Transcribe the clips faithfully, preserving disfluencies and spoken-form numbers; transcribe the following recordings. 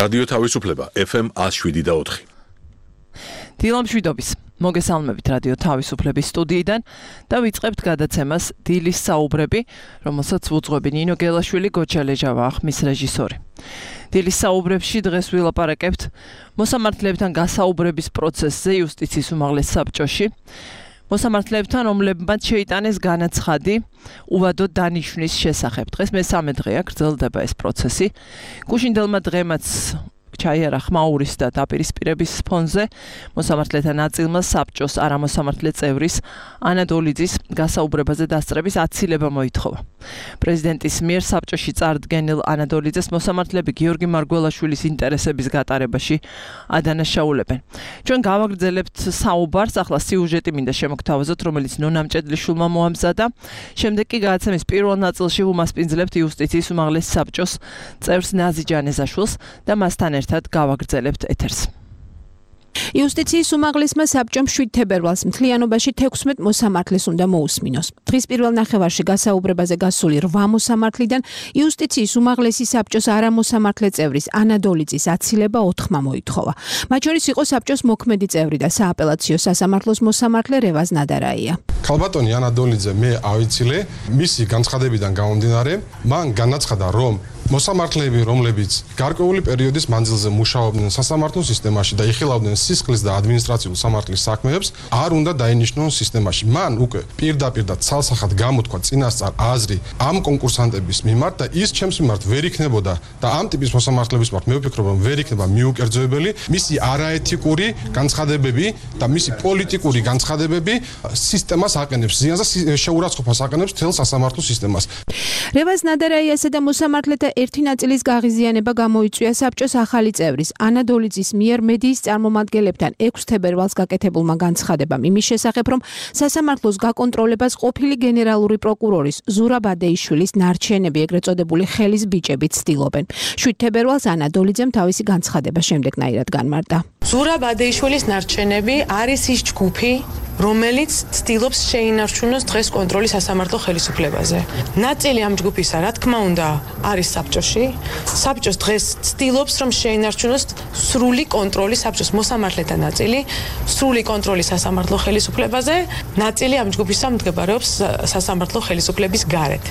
რადიო თავისუფლება ეფ ემ one oh seven და four. დილა მშვიდობის. მოგესალმებით რადიო თავისუფლების სტუდიიდან და ვიწყებთ გადაცემას დილის საუბრები, რომელსაც უძღვები ნინო გელაშვილი, გოჩა ლეჟავა ხმის რეჟისორი. დილის საუბრებში დღეს ვილაპარაკებთ მოსამართლეებთან გასაუბრების პროცესზე იუსტიციის უმაღლეს საბჭოში. მოსამართლეებთან, რომლებმაც შეიტანეს განაცხადი უვადო დანიშვნის შესახებ. დღეს მესამე დღეა გრძელდება ეს პროცესი. გუშინდელმა დღემაც ჩაიარა ხმაურის და დაპირისპირების ფონზე მოსამართლეთა ნაწილმა საბჭოს არამოსამართლე წევრის ანა დოლიძის გასაუბრებაზე დასწრების აცილება მოითხოვა. პრეზიდენტის მიერ საბჭოში წარდგენილ ანა დოლიძეს მოსამართლეები გიორგი მარგველაშვილის ინტერესების გატარებაში ადანაშაულებენ. ჩვენ გავაგრძელებთ საუბარს, ახლა სიუჟეტი მინდა შემოგთავაზოთ, რომელიც ნონა მჭედლიშვილმა მოამზადა. შემდეგ კი გადაცემის პირველ ნაწილში ვუმასპინძლებთ იუსტიციის უმაღლეს საბჭოს წევრს ნაზი ჯანეზაშვილს და მასთან ერთად გავაგრძელებთ ეთერს. იუსტიციის უმაღლესმა საბჭომ შვიდ თებერვალს მთლიანობაში თექვსმეტ მოსამართლეს უნდა მოусმინოს. დღის პირველ ნახევარში გასაუბრებაზე გასული რვა მოსამართლიდან იუსტიციის უმაღლესი საბჭოს არამოსამართლე წევრის ანა დოლიძის აცილება ოთხმა მოითხოვა. მათ შორის იყო საბჭოს მოქმედი წევრი და სააპელაციო სასამართლოს მოსამართლე რევაზ ნადარაია. ქალბატონი ანა დოლიძე მე ავიცილე, მისი განცხადებიდან გამომდინარე, მან განაცხადა, რომ მოსამართლეები, რომლებიც გარკვეული პერიოდის მანძილზე მუშაობდნენ სასამართლო სისტემაში და იხილავდნენ სისხლის და ადმინისტრაციულ სამართლის საქმეებს, არ უნდა დაინიშნონ სისტემაში. მან უკვე პირდაპირ და ცალსახად გამოთქვა წინასწარ აზრი ამ კონკურსანტების მიმართ და ის ჩემს მიმართ ვერ იქნებოდა და ამ ტიპის მოსამართლეების მიმართ მე ვფიქრობ, რომ ვერ იქნება მიუკერძოებელი მისი არაეთიკური განცხადებები და მისი პოლიტიკური განცხადებები სისტემას აყენებს ზიანს და შეურაცხყოფას აყენებს თელ სასამართლო სისტემას. რევაზ ნადარაიასა და მოსამართლეთა ერთი ნაწილის გაღიზიანება გამოიწვია საბჭოს ახალი წევრის ანა დოლიძის მიერ მედიის წარმომადგენლებთან ექვსი თებერვალს გაკეთებულმა განცხადებამ იმის შესახებ, რომ სასამართლოს გაკონტროლებას ყოფილი გენერალური პროკურორის ზურაბ ადეიშვილის ნარჩენები, ეგრეთ წოდებული ხელის ბიჭები ცდილობენ. შვიდ თებერვალს ანა დოლიძემ თავისი განცხადება შემდეგნაირად განმარტა. ზურაბ ადეიშვილის ნარჩენები არის ის ჯგუფი, რომელიც ცდილობს შეინარჩუნოს დღეს კონტროლი სასამართლო ხელისუფლებაზე. ნაწილი ამ ჯგუფისა, რა თქმა უნდა, არის საბჭოში. საბჭოს დღეს ცდილობს, რომ შეინარჩუნოს სრული კონტროლი საბჭოს მოსამართლეთა ნაწილი, სრული კონტროლი სასამართლო ხელისუფლებაზე, ნაწილი ამ ჯგუფისა მდებარეობს სასამართლო ხელისუფლების გარეთ.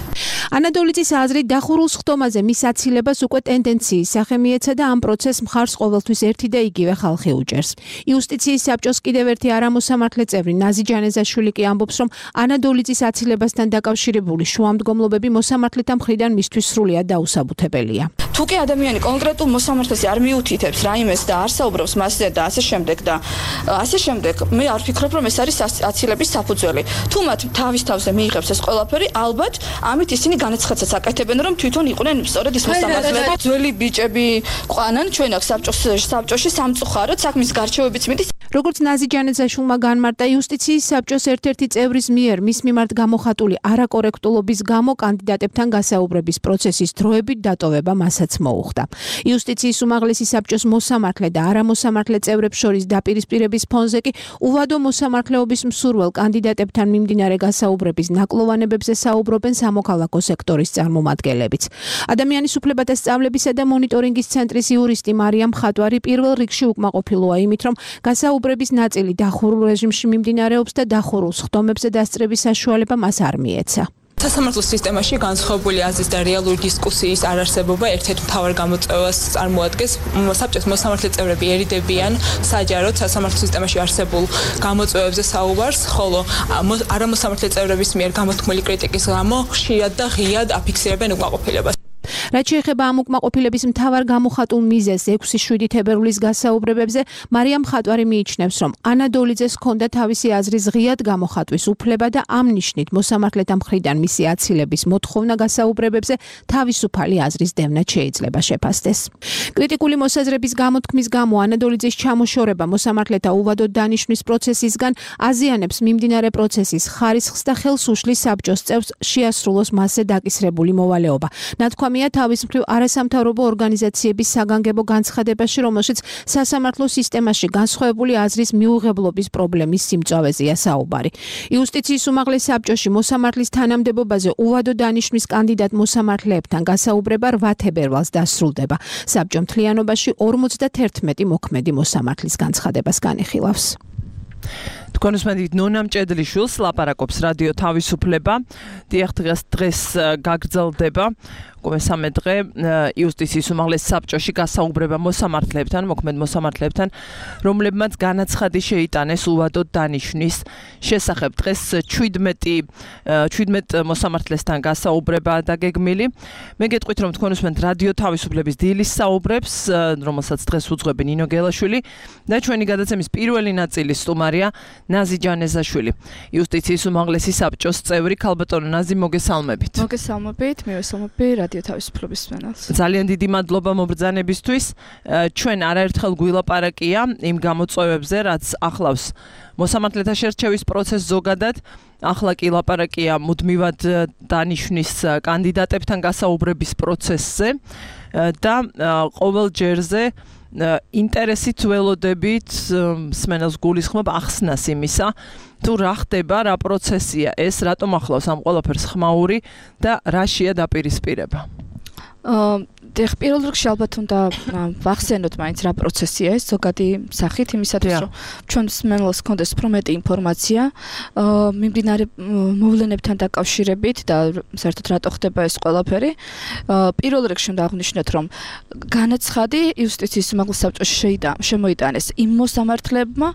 ანა დოლიძის აზრით დახურულ სხდომაზე მის აცილებას უკვე ტენდენციის სახე მიეცა და ამ პროცესს მხარს ყოველთვის ერთი და იგივე ხალხი უჭერს. იუსტიციის საბჭოს კიდევ ერთი არამოსამართლე წევრი ნაზი ჯანეზაშვილი კი ამბობს, რომ ანა დოლიძის აცილებასთან დაკავშირებული შუამდგომლობები მოსამართლეთა მხრიდან მისთვის სრულიად დაუსაბუთებელია. თუ კი ადამიანი კონკრეტულ მოსამართლეს არ მიუთითებს რაიმეს და არ საუბრობს მასზე და ასე შემდეგ და ასე შემდეგ, მე არ ვფიქრობ, რომ ეს არის აცილების საფუძველი. თუ მათ თავის თავზე მიიღებს ეს ყველაფერი, ალბათ ამით ისინი განაცხადსაც აკეთებენ, რომ თვითონ იყვნენ სწორედ ის მოსამართლეები. ძველი ბიჭები ყვანან ჩვენ აქ საბჭოში სამწუხაროდ საქმის გარჩევებიც მიდის. როგორც ნაზი ჯანეზაშვილმა განმარტა, იუსტიციის საბჭოს ერთ-ერთი წევრის მიერ მის მიმართ გამოხატული არაკორექტულობის გამო კანდიდატებთან გასაუბრების პროცესის დროებით დატოვება მასაც მოუხდა. იუსტიციის უმაღლესი საბჭოს მოსამართლე და არამოსამართლე წევრებს შორის დაპირისპირების ფონზე კი უვადო მოსამართლეობის მსურველ კანდიდატებთან მიმდინარე გასაუბრების ნაკლოვანებებზე საუბრობენ სამოქალაქო სექტორის წარმომადგენლებიც. ადამიანის უფლებათა სწავლებისა და მონიტორინგის ცენტრის იურისტი მარიამ ხატვარი პირველ რიგში უკმაყოფილოა იმით, რომ გასაუბრების ნაწილი დახურულ რეჟიმში მიმდინარეობს და დახურულ სხდომებზე დასწრების საშუალება მას არ მიეცა. სასამართლო სისტემაში განსხვავებული აზრის და რეალური დისკუსიის არარსებობა ერთ-ერთ მთავარ გამოწვევას წარმოადგენს. საბჭოს მოსამართლე წევრები ერიდებიან საჯაროდ სასამართლო სისტემაში არსებულ გამოწვევებზე საუბარს, ხოლო არამოსამართლე წევრების მიერ გამოთქმული კრიტიკის გამო ხშირად და ღიად აფიქსირებენ უკმაყოფილებას. რაც შეეხება ამ უკმაყოფილების მთავარ გამოხატულ მიზეზს ექვსი შვიდი თებერვლის გასაუბრებებზე, მარიამ ხატვარი მიიჩნევს, რომ ანა დოლიძეს ჰქონდა თავისი აზრის ღიად გამოხატვის უფლება და ამ ნიშნით მოსამართლეთა მხრიდან მისი აცილების მოთხოვნა გასაუბრებებზე თავისუფალი აზრის დევნად შეიძლება შეფასდეს. კრიტიკული მოსაზრების გამოთქმის გამო ანა დოლიძის ჩამოშორება მოსამართლეთა უვადოდ დანიშვნის პროცესისგან აზიანებს მიმდინარე პროცესის ხარისხს და ხელს უშლის საბჭოს წევრს შეასრულოს მასზე დაკისრებული მოვალეობა. ნათქვამია თავის მხრივ არასამთავრობო ორგანიზაციების საგანგებო განცხადებაში, რომელშიც სასამართლო სისტემაში განსხვავებული აზრის მიუღებლობის პრობლემის სიმწავეზეა საუბარი. იუსტიციის უმაღლეს საბჭოში მოსამართლის თანამდებობაზე უვადო დანიშვნის კანდიდატ მოსამართლეებთან გასაუბრება რვა თებერვალს დასრულდება. საბჭო მთლიანობაში ორმოცდაერთმეტი მოქმედი მოსამართლის განცხადებას განიხილავს. თქვენ უსმენთ ნონა მჭედლიშვილს, ლაპარაკობს რადიო თავისუფლება. დიახ, დღეს დღეს გაგრძელდება მესამე დღე იუსტიციის უმაღლეს საბჭოში გასაუბრება მოსამართლეებთან, მოქმედ მოსამართლეებთან, რომლებმაც განაცხადი შეიტანეს უვადო დანიშვნის შესახებ. დღეს შვიდმეტ მოსამართლესთან გასაუბრება დაგეგმილი. მე გეტყვით, რომ თქვენ უსმენთ რადიო თავისუფლების დილის საუბრებს, რომელსაც დღეს უძღვები ნინო გელაშვილი და ჩვენი გადაცემის პირველი ნაწილის სტუმარია ნაზი ჯანეზაშვილი, იუსტიციის უმაღლესი საბჭოს წევრი. ქალბატონო ნაზი, მოგესალმებით. მოგესალმებით, მივესალმები რადიო თავისუფლების მსმენელს. ძალიან დიდი მადლობა მობრძანებისთვის. ჩვენ არაერთხელ გვილაპარაკია იმ გამოწვევებზე, რაც ახლავს მოსამართლეთა შერჩევის პროცესს ზოგადად. ახლა კი ლაპარაკია მუდმივად დანიშვნის კანდიდატებთან გასაუბრების პროცესზე და ყოველ ჯერზე ინტერესით ველოდებით მსმენელს გულისხმობ ახსნას იმისა, თუ რა ხდება, რა პროცესია ეს, რატომ ახლავს ამ ყველაფერს ხმაური და რაშია დაპირისპირება. დიახ, პირველ რიგში ალბათ უნდა ვახსენოთ მაინც რა პროცესია ეს ზოგადი სახით, იმისათვის რომ ჩვენ მსმენელს ჰქონდეს უფრო მეტი ინფორმაცია მიმდინარე მოვლენებთან დაკავშირებით და საერთოდ რატო ხდება ეს ყველაფერი. პირველ რიგში უნდა აღვნიშნოთ, რომ განაცხადი იუსტიციის უმაღლეს საბჭოში შემოიტანეს იმ მოსამართლეებმა,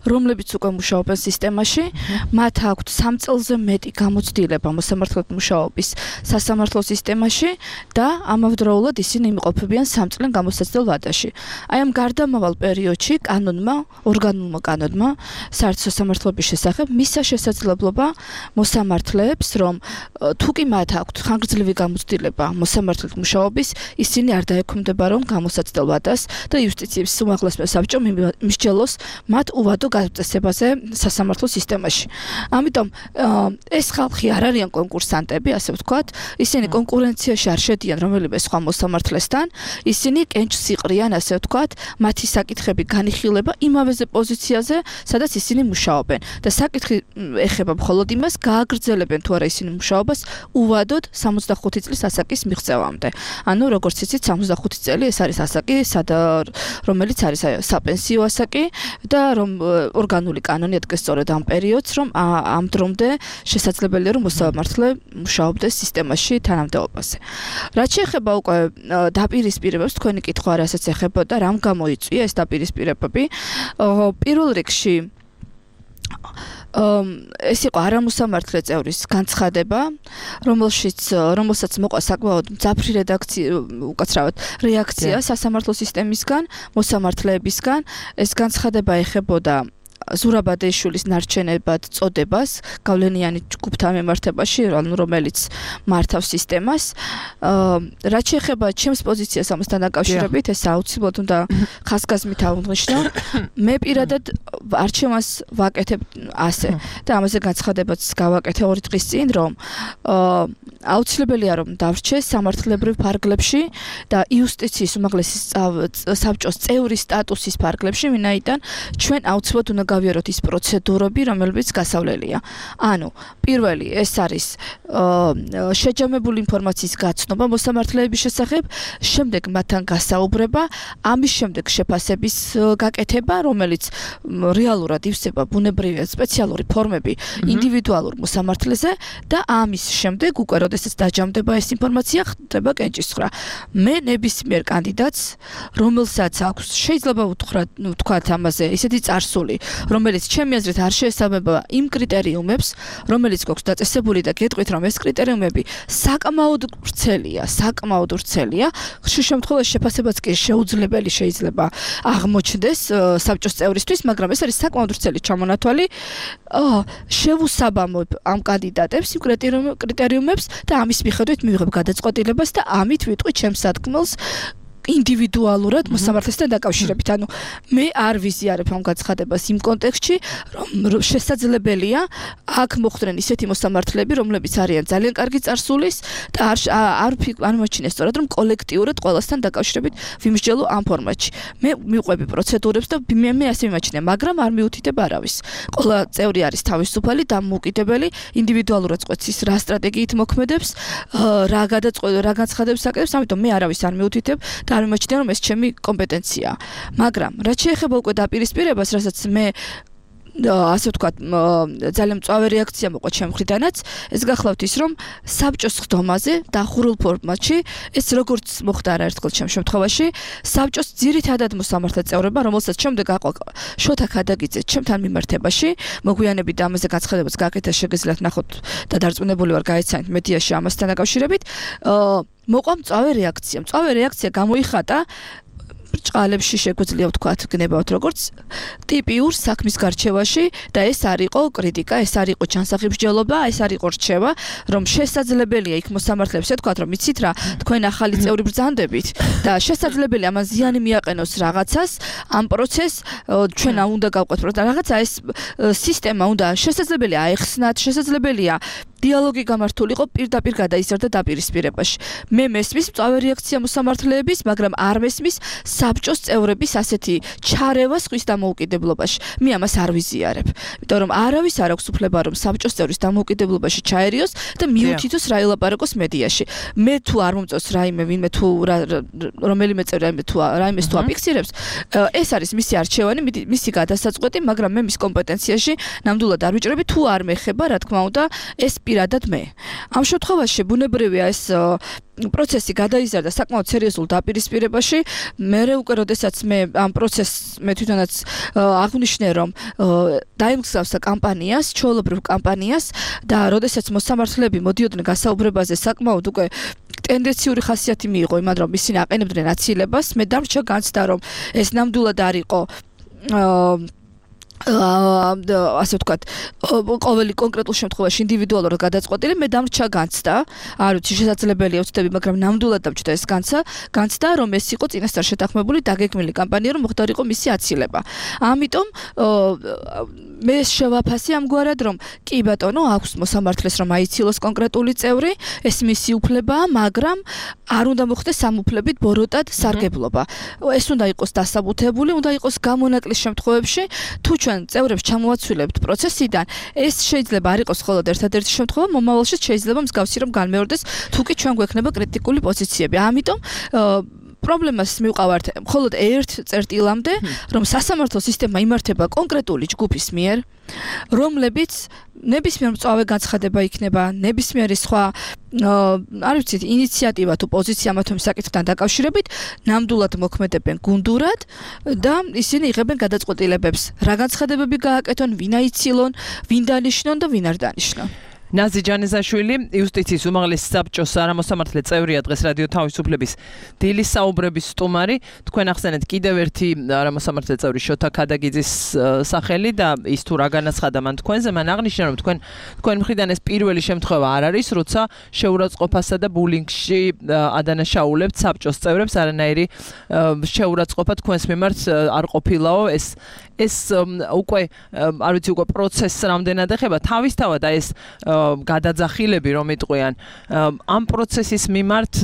რომლებიც უკვე მუშაობენ სისტემაში, მათ აქვთ სამ წელზე მეტი გამოცდილება მოსამართლეთა მუშაობის სასამართლო სისტემაში და ამავდროულად ისინი იმყოფებიან სამ წლიან გამოსაცდელ ვადაში. აი ამ გარდამავალ პერიოდში კანონმა, ორგანულმა კანონმა საერთო სასამართლოების შესახებ მისცა შესაძლებლობა მოსამართლეებს, რომ თუ კი მათ აქვთ ხანგრძლივი გამოცდილება მოსამართლეთ მუშაობის, ისინი არ დაექვემდებარონ გამოსაცდელ ვადას და იუსტიციის უმაღლეს საბჭომ მისჯელოს მათ უვადო გაწესებაზე სასამართლო სისტემაში. ამიტომ ეს ხალხი არ არიან კონკურსანტები, ასე ვთქვათ, ისინი კონკურენციაში არ შედიან რომელიმე სხვა მოსამართლესთან, ისინი კენჭს იყრიან, ასე ვთქვათ, მათი საკითხები განიხილება იმავეზე პოზიციაზე, სადაც ისინი მუშაობენ და საკითხი ეხება მხოლოდ იმას, გააგრძელებენ თუ არა ისინი მუშაობას უვადოდ სამოცდახუთი წლის ასაკის მიღწევამდე. ანუ როგორც იცით, სამოცდახუთი წელი ეს არის ასაკი, რომელიც არის საპენსიო ასაკი და რომ ორგანული კანონი ადგეს სწორედ ამ პერიოდს, რომ ამ დრომდე შესაძლებელია რომ მოსამართლე მუშაობდეს სისტემაში თანამდებობაზე. რაც შეეხება უკვე დაპირისპირებებს, თქვენი კითხვა რასაც ეხებოდა, რამ გამოიწვია ეს დაპირისპირებები. პირველ რიგში ეს იყო არამოსამართლე წევრის განცხადება, რომელშიც რომელსაც მოყვა საკმაოდ მძაფრი რედაქცია, უკაცრავად რეაქცია სასამართლო სისტემისგან, მოსამართლეებისგან. ეს განცხადება ეხებოდა ზურაბადეიშვილის ნარჩენებად წოდებას გავლენიანი ჯგუფთან მიმართებაში, რომელიც მართავს სისტემას. რაც შეეხება ჩემს პოზიციას ამასთან დაკავშირებით, ეს აუცილებლად უნდა ხაზგასმით აღვნიშნო. მე პირადად არჩევანს ვაკეთებ ასე და ამაზე განცხადებაც გავაკეთე ორი დღის წინ, რომ აუცილებელია რომ დავრჩეს სამართლებრივ ფარგლებში და იუსტიციის უმაღლესი საბჭოს წევრის სტატუსის ფარგლებში, ვინაიდან ჩვენ აუცილებლად უნდა გავიაროთ ის პროცედურები, რომელებიც გასავლელია. ანუ, პირველი ეს არის შეჯამებული ინფორმაციის გაცნობა მოსამართლეების შესახებ, შემდეგ მათთან გასაუბრება, ამის შემდეგ შეფასების გაკეთება, რომელიც რეალურად ივსება ბუნებრივი სპეციალური ფორმები ინდივიდუალურ მოსამართლეზე და ამის შემდეგ უკვე როდესაც დაჯამდება ეს ინფორმაცია, ხდება კენჭისყრა. მე ნებისმიერ კანდიდატს, რომელსაც აქვს შეიძლება ვთქვათ ამაზე ისეთი წარსული, რომელიც ჩემი აზრით არ შეესაბამება იმ კრიტერიუმებს, რომელიც გვაქვს დაწესებული და გეტყვით, რომ ეს კრიტერიუმები საკმაოდ ვრცელია, საკმაოდ ვრცელია. ხშირ შემთხვევაში შეფასებაც კი შეუძლებელი შეიძლება აღმოჩნდეს საბჭოს წევრისთვის, მაგრამ ეს არის საკმაოდ ვრცელი ჩამონათვალი. შევუსაბამებ ამ კანდიდატებს იმ კრიტერიუმებს და ამის მიხედვით მივიღებ გადაწყვეტილებას და ამით ვიტყვი ჩემს სათქმელს ინდივიდუალურად მოსამართლესთან დაკავშირებით. ანუ მე არ ვიზიარებ ამ გაცხადებას იმ კონტექსტში, რომ შესაძლებელია აქ მოხდნენ ისეთი მოსამართლეები, რომლებიც არიან ძალიან კარგი წარსულის და არ არ არ მოჩინეს სწორად რომ კოლექტიურად ყველასთან დაკავშირებით ვიმსჯელო ამ ფორმატში. მე მივყვები პროცედურებს და მე მე ასე მიმაჩნია, მაგრამ არ მიუთითებ არავის. ყველა წევრი არის თავისუფალი და მოკიდებელი, ინდივიდუალურად წყვეტს რა სტრატეგიით მოქმედებს, რა გადაწყვეტ რა განცხადებს აკეთებს, ამიტომ მე არავის არ მიუთითებ და არ მიმაჩნია რომ ეს ჩემი კომპეტენციაა. მაგრამ რაც შეეხება უკვე დაპირისპირებას, რასაც მე ასე ვთქვათ, ძალიან მწვავე რეაქცია მოყვა ჩემ მხრიდანაც, ეს გახლავთ ის, რომ საბჭოს ხდომაზე დახურულ ფორმატში, ეს როგორც მოხდა არაერთხელ ჩემ შემთხვევაში, საბჭოს ძირითადად მოსამართლე წევრება, რომელსაც შემდეგ აყვა შოთა ქადაგიძე ჩემთან მიმართებაში, მოგვიანებით ამაზე გაცხადებაც გააკეთა, შეგეძლოთ ნახოთ და დარწმუნებული ვარ გაეცანით მედიაში ამასთან დაკავშირებით, მოყვა მწვავე რეაქცია. მწვავე რეაქცია გამოიხატა ბრჭყალებში შეგვიძლია ვთქვათ, გნებავთ როგორც ტიპიურ საქმის გარჩევაში და ეს არ იყო კრიტიკა, ეს არ იყო ჩანსახიბსჯელობა, ეს არ იყო რჩევა, რომ შესაძლებელია იქ მოსამართლეებს ეთქვათ, რომ იცით რა, თქვენ ახალი წევრი ბრძანდებით და შესაძლებელია ამან ზიანი მიაყენოს რაღაცას, ამ პროცესს ჩვენ უნდა გავყვეთ, რომ რაღაცა ეს სისტემა უნდა შესაძლებელია აეხსნათ, შესაძლებელია დიალოგი გამართულიყო პირდაპირ გადაიზარდა დაპირისპირებაში. მე მესმის მწვავე რეაქცია მოსამართლეების, მაგრამ არ მესმის საბჭოს წევრების ასეთი ჩარევა სხვის დამოუკიდებლობაში. მე ამას არ ვიზიარებ. იმიტომ რომ არავის არ აქვს უფლება რომ საბჭოს წევრის დამოუკიდებლობაში ჩაერიოს და მიუთითოს რა ელაპარაკოს მედიაში. მე თუ არ მომწონს რაიმე ვინმე თუ რომელიმე წევრი რაიმე თუ რაიმეს თუ აფიქსირებს, ეს არის მისი არჩევანი, მისი გადასაწყვეტი, მაგრამ მე მის კომპეტენციაში ნამდვილად არ ვიჭრები, თუ არ მეხება, რა თქმა უნდა, ეს პირადად მე. ამ შემთხვევაში ბუნებრივია ეს პროცესი გადაიზარდა საკმაოდ სერიოზულ დაპირისპირებაში. მე უკვე როდესაც მე ამ პროცესს მე თვითონაც აღვნიშნე რომ დაიმგზავსა კამპანიას, ჩვეულებრივ კამპანიას და როდესაც მოსამართლეები მოდიოდნენ გასაუბრებაზე საკმაოდ უკვე ტენდენციური ხასიათი მიიღო იმან რომ ისინი აყენებდნენ აცილებას, მე დამრჩა განცდა რომ ეს ნამდვილად არ იყო ასე ვთქვათ, ყოველი კონკრეტულ შემთხვევაში ინდივიდუალურად გადაწყვეტილი, მე დამრჩა განცდა, არ ვიცი შესაძლებელია ვცდები, მაგრამ ნამდვილად დამჭდა ეს განცდა, განცდა რომ ეს იყო წინასწარ შეთანხმებული დაგეგმილი კამპანია, რომ მოხდარიყო მისი აცილება. ამიტომ მე შევაფასე ამგვარად, რომ კი ბატონო, აქვს მოსამართლეს რომ აიცილოს კონკრეტული წევრი, ეს მისი უფლებაა, მაგრამ არ უნდა მოხდეს ამ უფლებით ბოროტად სარგებლობა. ეს უნდა იყოს დასაბუთებული, უნდა იყოს გამონაკლის შემთხვევებში, თუ ჩვენ წევრებს ჩამოვაცვლილებთ პროცესიდან, ეს შეიძლება არ იყოს მხოლოდ ერთადერთი შემთხვევა, მომავალში შეიძლება მსგავსი რომ განმეორდეს, თუ კი ჩვენ გვექნება კრიტიკული პოზიციები. ამიტომ პრობლემას მივყავართ მხოლოდ ერთ წერტილამდე, რომ სასამართლო სისტემა იმართება კონკრეტული ჯგუფის მიერ, რომლებიც ნებისმიერ მწვავე განცხადება იქნება, ნებისმიერი სხვა არ ვიცით, ინიციატივა თუ პოზიცია მათთვის საკითხთან დაკავშირებით, ნამდვილად მოქმედებენ გუნდურად და ისინი იღებენ გადაწყვეტილებებს, რა განცხადებები გააკეთონ, ვინ აიცილონ, ვინ დანიშნონ და ვინ არ დანიშნონ. ნაზი ჯანეზაშვილი, იუსტიციის უმაღლესი საბჭოს არამოსამართლე წევრია, დღეს რადიო თავისუფლების დილის საუბრების სტუმარი. თქვენ ახსენეთ კიდევ ერთი არამოსამართლე წევრი შოთა ქადაგიძის სახელი და ის თუ რა განაცხადა მან თქვენზე, მან აღნიშნა, რომ თქვენ თქვენ მხრიდან ეს პირველი შემთხვევა არ არის, როცა შეურაცხყოფასა და ბულინგში ადანაშაულებთ საბჭოს წევრებს, არანაირი შეურაცხყოფა თქვენს მიმართ არ ყოფილაო, ეს ეს უკვე არ ვიცი უკვე პროცესს რამდენად ეხება თავისთავად და ეს გადაძახილები რომ იტყვიან ამ პროცესის მიმართ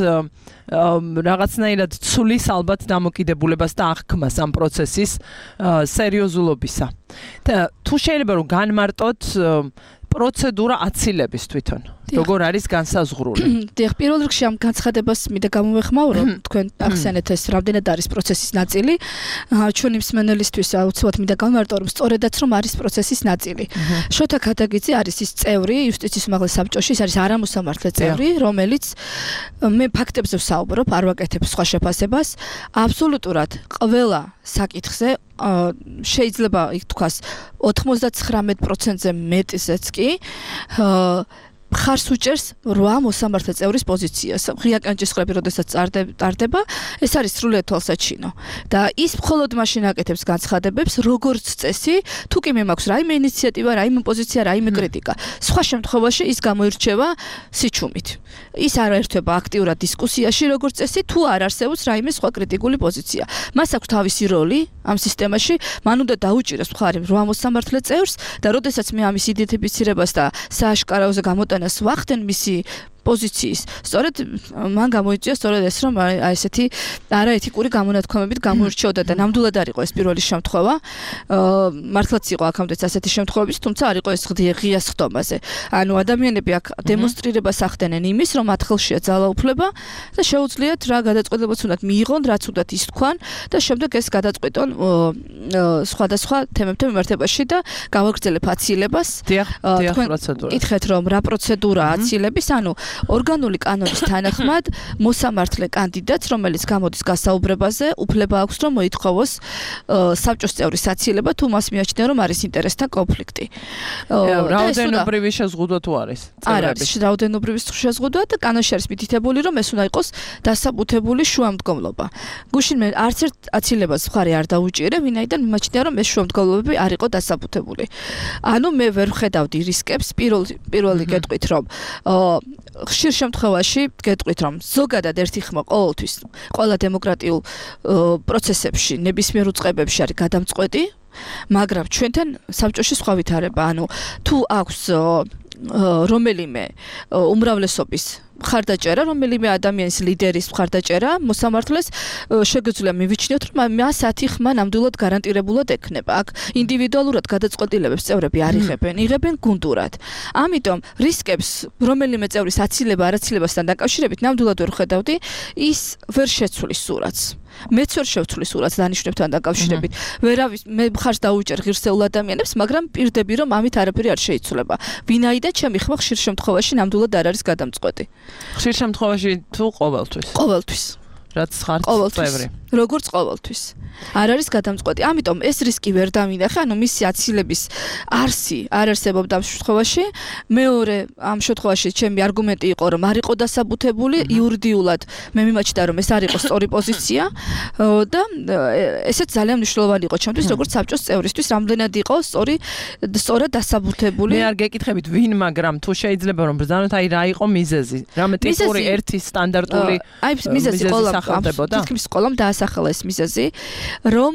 რაღაცნაირად ცulis ალბათ დამოკიდებულებას და აღქმას ამ პროცესის სერიოზულობისა. და თუ შეიძლება რომ განმარტოთ პროცედურა აცილების თვითონ როგორ არის განსაზღვრული? დიახ, პირველ რიგში ამ განცხადებას მინდა გამოვეხმაურო, თქვენ ახსენეთ ეს რამდენად არის პროცესის ნაწილი. ჩვენი მსმენელისთვის აუცილებლად მინდა გამარტო, რომ სწორედაც რომ არის პროცესის ნაწილი. შოთა ქადაგიძე არის ის წევრი იუსტიციის უმაღლეს საბჭოში, ის არის არამოსამართლე წევრი, რომელიც მე ფაქტებზე ვსაუბრობ, არ ვაკეთებ სხვა შეფასებას. აბსოლუტურად ყველა საკითხზე შეიძლება იქ თქვას ოთხმოცდათცხრამეტ პროცენტზე მეტისეც კი მხარს უჭერს რვა მოსამართლე წევრის პოზიციას. ღია კანჭისყრები როდესაც ტარდება, ეს არის სრულიად თვალსაჩინო. და ის მხოლოდ მაშინ აკეთებს განცხადებებს, როგორც წესი, თუ კი მე მაქვს რაიმე ინიციატივა, რაიმე პოზიცია, რაიმე კრიტიკა. სხვა შემთხვევაში ის გამოირჩევა სიჩუმით. ის არ ერთვება აქტიურად დისკუსიაში, როგორც წესი, თუ არ არსებობს რაიმე სხვა კრიტიკული პოზიცია. მას აქვს თავისი როლი ამ სისტემაში, მან უნდა დაუჭიროს მხარი რვა მოსამართლე წევრს და როდესაც მე ამის იდენტიფიცირებას და სააშკარაოზე გამოტანას ვახდენ მისი პოზიციის. სწორედ მან გამოიწვია სწორედ ეს, რომ აი ესეთი არაეთიკური გამონათქვამებით გამოირჩეოდა და ნამდვილად არ იყო ეს პირველი შემთხვევა. მართლაც იყო აქამდეც ასეთი შემთხვევები, თუმცა არ იყო ეს ღია სხდომაზე. ანუ ადამიანები აქ დემონსტრირებას ახდენენ იმის, რომ მათ ხელშია ძალაუფლება და შეუძლიათ რა გადაწყვეტილებაც უნდათ მიიღონ, რაც უნდათ ის თქვან და შემდეგ ეს გადაწყვეტონ სხვადასხვა თემებთან მიმართებაში და გავაგრძელებ აცილებას. დიახ, დიახ, პროცედურა. იკითხეთ, რომ რა პროცედურაა აცილების, ანუ ორგანული კანონის თანახმად მოსამართლე კანდიდატს, რომელიც გამოდის გასაუბრებაზე, უფლება აქვს, რომ მოითხოვოს საბჭოს წევრის აცილება, თუ მას მიაჩნია, რომ არის ინტერესთა კონფლიქტი. რაოდენობრივი შეზღუდვა თუ არის? არ არის რაოდენობრივი შეზღუდვა და კანონში არის მითითებული, რომ ეს უნდა იყოს დასაბუთებული შუამდგომლობა. გუშინ მე არც ერთ აცილებას მხარი არ დაუჭირე, ვინაიდან მიმაჩნია, რომ ეს შუამდგომლობები არ იყო დასაბუთებული. ანუ მე ვერ ვხედავდი რისკებს, პირველი პირველი გეტყვით, რომ ხშირ შემთხვევაში გეტყვით, რომ ზოგადად ერთი ხმა ყოველთვის ყველა დემოკრატიულ პროცესებში, ნებისმიერ უწყებებში არის გადამწყვეტი, მაგრამ ჩვენთან საბჭოში სხვა ვითარება, ანუ თუ აქვს რომელიმე უმრავლესობის მხარდაჭერა, რომელიმე ადამიანის ლიდერის მხარდაჭერა მოსამართლეს შეგვიძლია მივიჩნიოთ, რომ მას ათი ხმა ნამდვილად გარანტირებულად ექნება. აქ ინდივიდუალურად გადაწყვეტილებებს წევრები არ იღებენ, იღებენ გუნდურად. ამიტომ რისკებს რომელიმე წევრის აცილება, არაცილებასთან დაკავშირებით ნამდვილად ვერ ხედავდი, ის ვერ შეცვლის სურათს. მეც ვერ შევცვლის სურათს დანიშნებთან დაკავშირებით. ვერავის მე მხარს დაუჭერ ღირსეულ ადამიანებს, მაგრამ პირდები, რომ ამით არაფერი არ შეიცვლება. ვინაიდან ჩემი ხმა ხშირ შემთხვევაში ნამდვილად არ არის გადამწყვეტი. ხშირ შემთხვევაში თუ ყოველთვის. ყოველთვის. რაც ხართ წევრი. როგორც ყოველთვის. არ არის გადამწყვეტი. ამიტომ ეს რისკი ვერ დავინახე, ანუ მისი აცილების არსი არ არსებობდა ამ შემთხვევაში. მეორე ამ შემთხვევაში ჩემი არგუმენტი იყო, რომ არ იყო დასაბუთებული იურიდიულად. მე მიმაჩნდა, რომ ეს არ იყო სწორი პოზიცია და ესეც ძალიან მნიშვნელოვანი იყო ჩემთვის, როგორც საბჭოს წევრისთვის, რამდენად იყო სწორი სწორად დასაბუთებული. მე არ გეკითხებით ვინ, მაგრამ თუ შეიძლება რომ ბრძანოთ, აი რა იყო მიზეზი? რამე ტიპური ერთი სტანდარტული აი მიზეზი ყოლა თითქმის ყოლამ დაასახელა ეს მიზეზი, რომ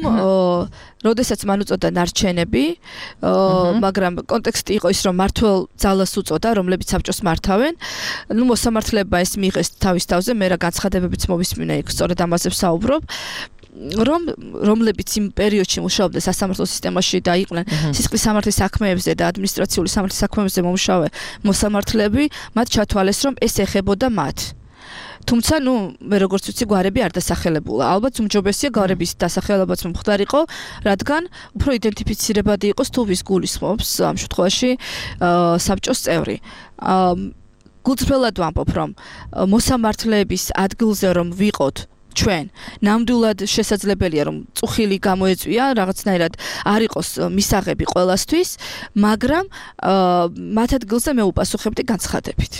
როდესაც მან უწოდა ნარჩენები, მაგრამ კონტექსტი იყო ის, რომ მართველ ძალას უწოდა, რომლებიც საბჭოს მართავენ. ნუ მოსამართლეებმა ეს მიიღეს თავის თავზე, მე რა განცხადებებიც მოვისმინე იქ, სწორედ ამაზე ვსაუბრობ. რომ რომლებიც იმ პერიოდში მუშაობდნენ სასამართლო სისტემაში და იყვნენ სისხლის სამართლის საქმეებზე და ადმინისტრაციული სამართლის საქმეებზე მომუშავე მოსამართლეები, მათ ჩათვალეს, რომ ეს ეხებოდა მათ. თუმცა, ნუ, მე როგორც ვიცი, გვარები არ დასახელებულა. ალბათ უმჯობესია გვარების დასახელებაც მომხდარიყო, რადგან უფრო იდენტიფიცირებადი იყოს თუ ვის გულისხმობს ამ შემთხვევაში საბჭოს წევრი. გულწრფელად ვამბობ, რომ მოსამართლეების ადგილზე რომ ვიყოთ ჩვენ ნამდვილად შესაძლებელია რომ წუხილი გამოეწვია რაღაცნაირად არ იყოს მისაღები ყველასთვის, მაგრამ მათ ადგილზე მე უპასუხებდი განცხადებით.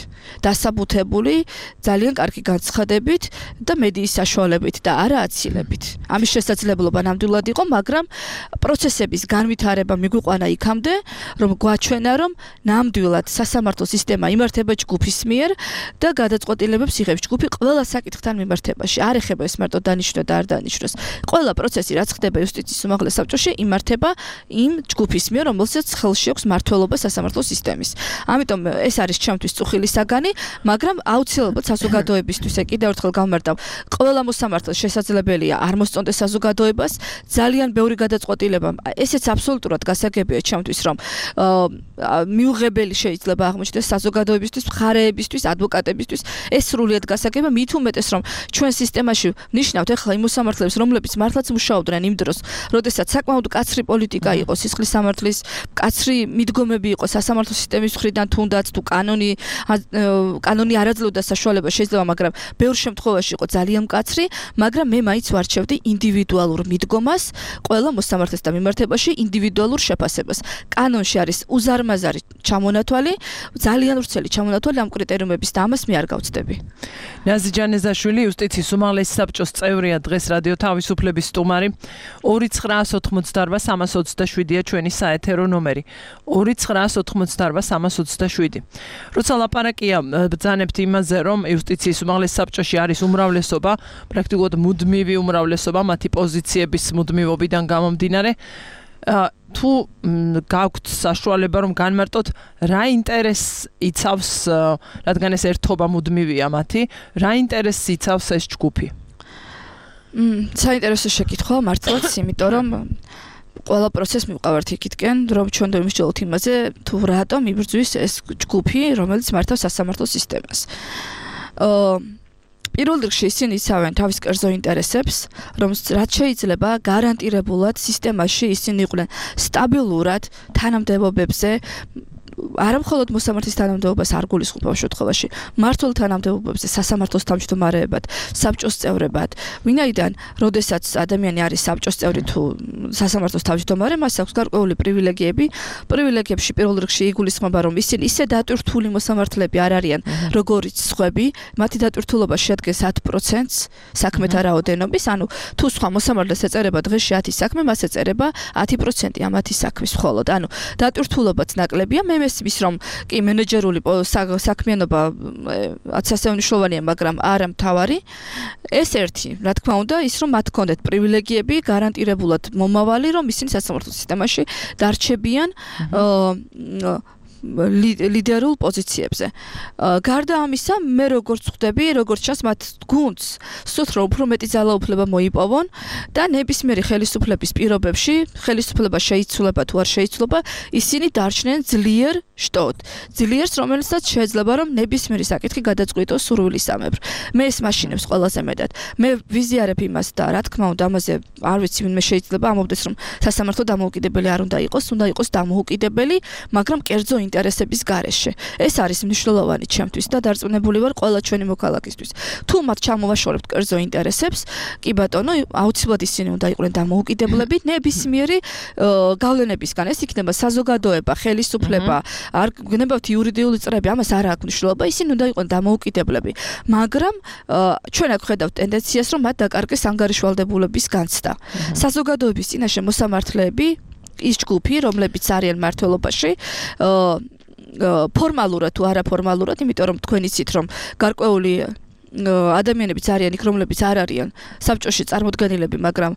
დასაბუთებული, ძალიან კარგი განცხადებით და მედიის საშუალებით და არა აცილებით. ამის შესაძლებლობა ნამდვილად იყო, მაგრამ პროცესების განვითარება მიგვიყვანა იქამდე, რომ გვაჩვენა, რომ ნამდვილად სასამართლო სისტემა იმართება ჯგუფის მიერ და გადაწყვეტილებებს იღებს ჯგუფი ყველა საკითხთან მიმართებაში. არ ეხება ეს მარტო დანიშნვა და არ დანიშნოს. ყველა პროცესი, რაც ხდება იუსტიციის უმაღლეს საბჭოში, იმართება იმ ჯგუფის მიერ, რომელსაც ხელში აქვს მმართველობა სასამართლო სისტემის. ამიტომ ეს არის ჩემთვის წუხილი საგანი, მაგრამ აუცილებლად საზოგადოებისთვის კიდევ ერთხელ გავმარტავ, ყველა მოსამართლეს შესაძლებელია არ მოსწონდეს საზოგადოებას, ძალიან ბევრი გადაწყვეტილება, ესეც აბსოლუტურად გასაგებია ჩემთვის, რომ მიუღებელი შეიძლება აღმოჩნდეს საზოგადოებისთვის, მხარეებისთვის, ადვოკატებისთვის, ეს სრულიად გასაგებია, მით უმეტეს, რომ ჩვენ სისტემაში ნიშნავთ ახლა იმ მოსამართლეებს, რომლებიც მართლაც მუშაობდნენ იმ დროს, როდესაც საკმაოდ კაცრი პოლიტიკა იყო, სისხლის სამართლის კაცრი მიდგომები იყო სასამართლო სისტემის მხრიდან, თუნდაც თუ კანონი კანონი არ აძლევდა საშუალებას შეიძლება, მაგრამ ბევრ შემთხვევაში იყო ძალიან მკაცრი, მაგრამ მე მაინც ვარჩევდი ინდივიდუალურ მიდგომას, ყველა მოსამართლესთან მიმართებაში ინდივიდუალურ შეფასებას. კანონში არის უზარმაზარი ჩამონათვალი, ძალიან ვრცელი ჩამონათვალი ამ კრიტერიუმების და ამას მე არ გავცდები. ნაზი ჯანეზაშვილი იუსტიციის უმაღლესი საბჭოს წევრია, დღეს რადიო თავისუფლების სტუმარი. ორი ცხრაას ოცდაოთხმოცდაორბა სამას ოცდაშვიდია ჩვენი საეთერო ნომერი. ორი ცხრაას ოცდაოთხმოცდაორბა სამას ოცდაშვიდი. როცა ლაპარაკია ბრძანებთ იმაზე, რომ იუსტიციის უმაღლეს საბჭოში არის უმრავლესობა, პრაქტიკულად მუდმივი უმრავლესობა მათი პოზიციების მუდმივობიდან გამომდინარე, თუ გაქვთ საშუალება რომ განმარტოთ რა ინტერესს იცავს, რადგან ეს ერთობა მუდმივია მათი, რა ინტერესს იცავს ეს ჯგუფი? მ საინტერესო შეკითხვა მართლაც, იმიტომ რომ ყველა პროცესს მივყავართ იქითკენ, რომ ჩვენ დავიმსჯელოთ იმაზე, თუ რატომ იბრძვის ეს ჯგუფი, რომელიც მართავს სასამართლო სისტემას. პირველ რიგში ისინი იცავენ თავის კერძო ინტერესებს, რომ რაც შეიძლება გარანტირებულად სისტემაში ისინი იყვნენ სტაბილურად თანამდებობებზე, არა მხოლოდ მოსამართლის თანამდებობას არ გულისხმობ შემთხვევაში, მმართველ თანამდებობებზე, სასამართლოს თავმჯდომარეებად, საბჭოს წევრებად. ვინაიდან, როდესაც ადამიანი არის საბჭოს წევრი თუ სასამართლოს თავმჯდომარე, მას აქვს გარკვეული პრივილეგიები. პრივილეგიებში პირველ რიგში იგულისხმება, რომ ისინი ისე დატვირთული მოსამართლეები არ არიან, როგორიც სხვები, მათი დატვირთულობა შეადგენს ათ პროცენტს საქმეთა რაოდენობის, ანუ თუ სხვა მოსამართლეს ეწერება დღეში ათი საქმე, მას ეწერება ათი პროცენტი ამ ათი საქმის მხოლოდ. ანუ დატვირთულობაც ნაკლებია, მე მესმის რომ კი მენეჯერული საქმიანობა ასევე მნიშვნელოვანია, მაგრამ არა მთავარი. ეს ერთი, რა თქმა უნდა, ის რომ მათ ჰქონდეთ პრივილეგიები, გარანტირებულად მომავალი, რომ ისინი სასამართლო სისტემაში დარჩებიან ლიდერულ პოზიციებზე. გარდა ამისა, მე როგორც ხვდები, როგორც ჩანს, მათ გუნდს სულთ რომ უფრო მეტი ძალაუფლება მოიპოვონ და ნებისმიერი ხელისუფლების პირობებში, ხელისუფლება შეიცვლება თუ არ შეიცვლება, ისინი დარჩნენ ძლიერ შტოდ. ძლიერს, რომელსაც შეიძლება რომ ნებისმიერი საკითხი გადაწყვიტოს სურვილისამებრ. მე ეს მაშინებს ყველაზე მეტად. მე ვიზიარებ იმას და რა თქმა უნდა, ამაზე არ ვიცი, ვინმე შეიძლება ამობდეს, რომ სასამართლო დამოუკიდებელი არ უნდა იყოს, უნდა იყოს დამოუკიდებელი, მაგრამ კერძო ინტერესების გარეშე. ეს არის მნიშვნელოვანი ჩემთვის და დარწმუნებული ვარ ყველა ჩვენი მოქალაქისთვის. თუ მათ ჩამოვაშორებთ კერძო ინტერესებს, კი ბატონო, აუცილებლად ისინი უნდა იყვნენ დამოუკიდებლები, ნებისმიერი გავლენებისგან. ეს იქნება საზოგადოება, ხელისუფლება, არ გნებავთ იურიდიული წრეები, ამას არ აქვს მნიშვნელობა, ისინი უნდა იყვნენ დამოუკიდებლები. მაგრამ ჩვენ აქ ხედავთ ტენდენციას, რომ მათ დაკარგეს ანგარიშვალდებულების განცდა. საზოგადოების წინაშე მოსამართლეები ის ჯგუფი, რომლებიც არიან მმართველობაში, ფორმალურად თუ არაფორმალურად, იმიტომ რომ თქვენ იცით, რომ გარკვეული ადამიანებიც არიან იქ, რომლებიც არ არიან საბჭოში წარმოდგენილები, მაგრამ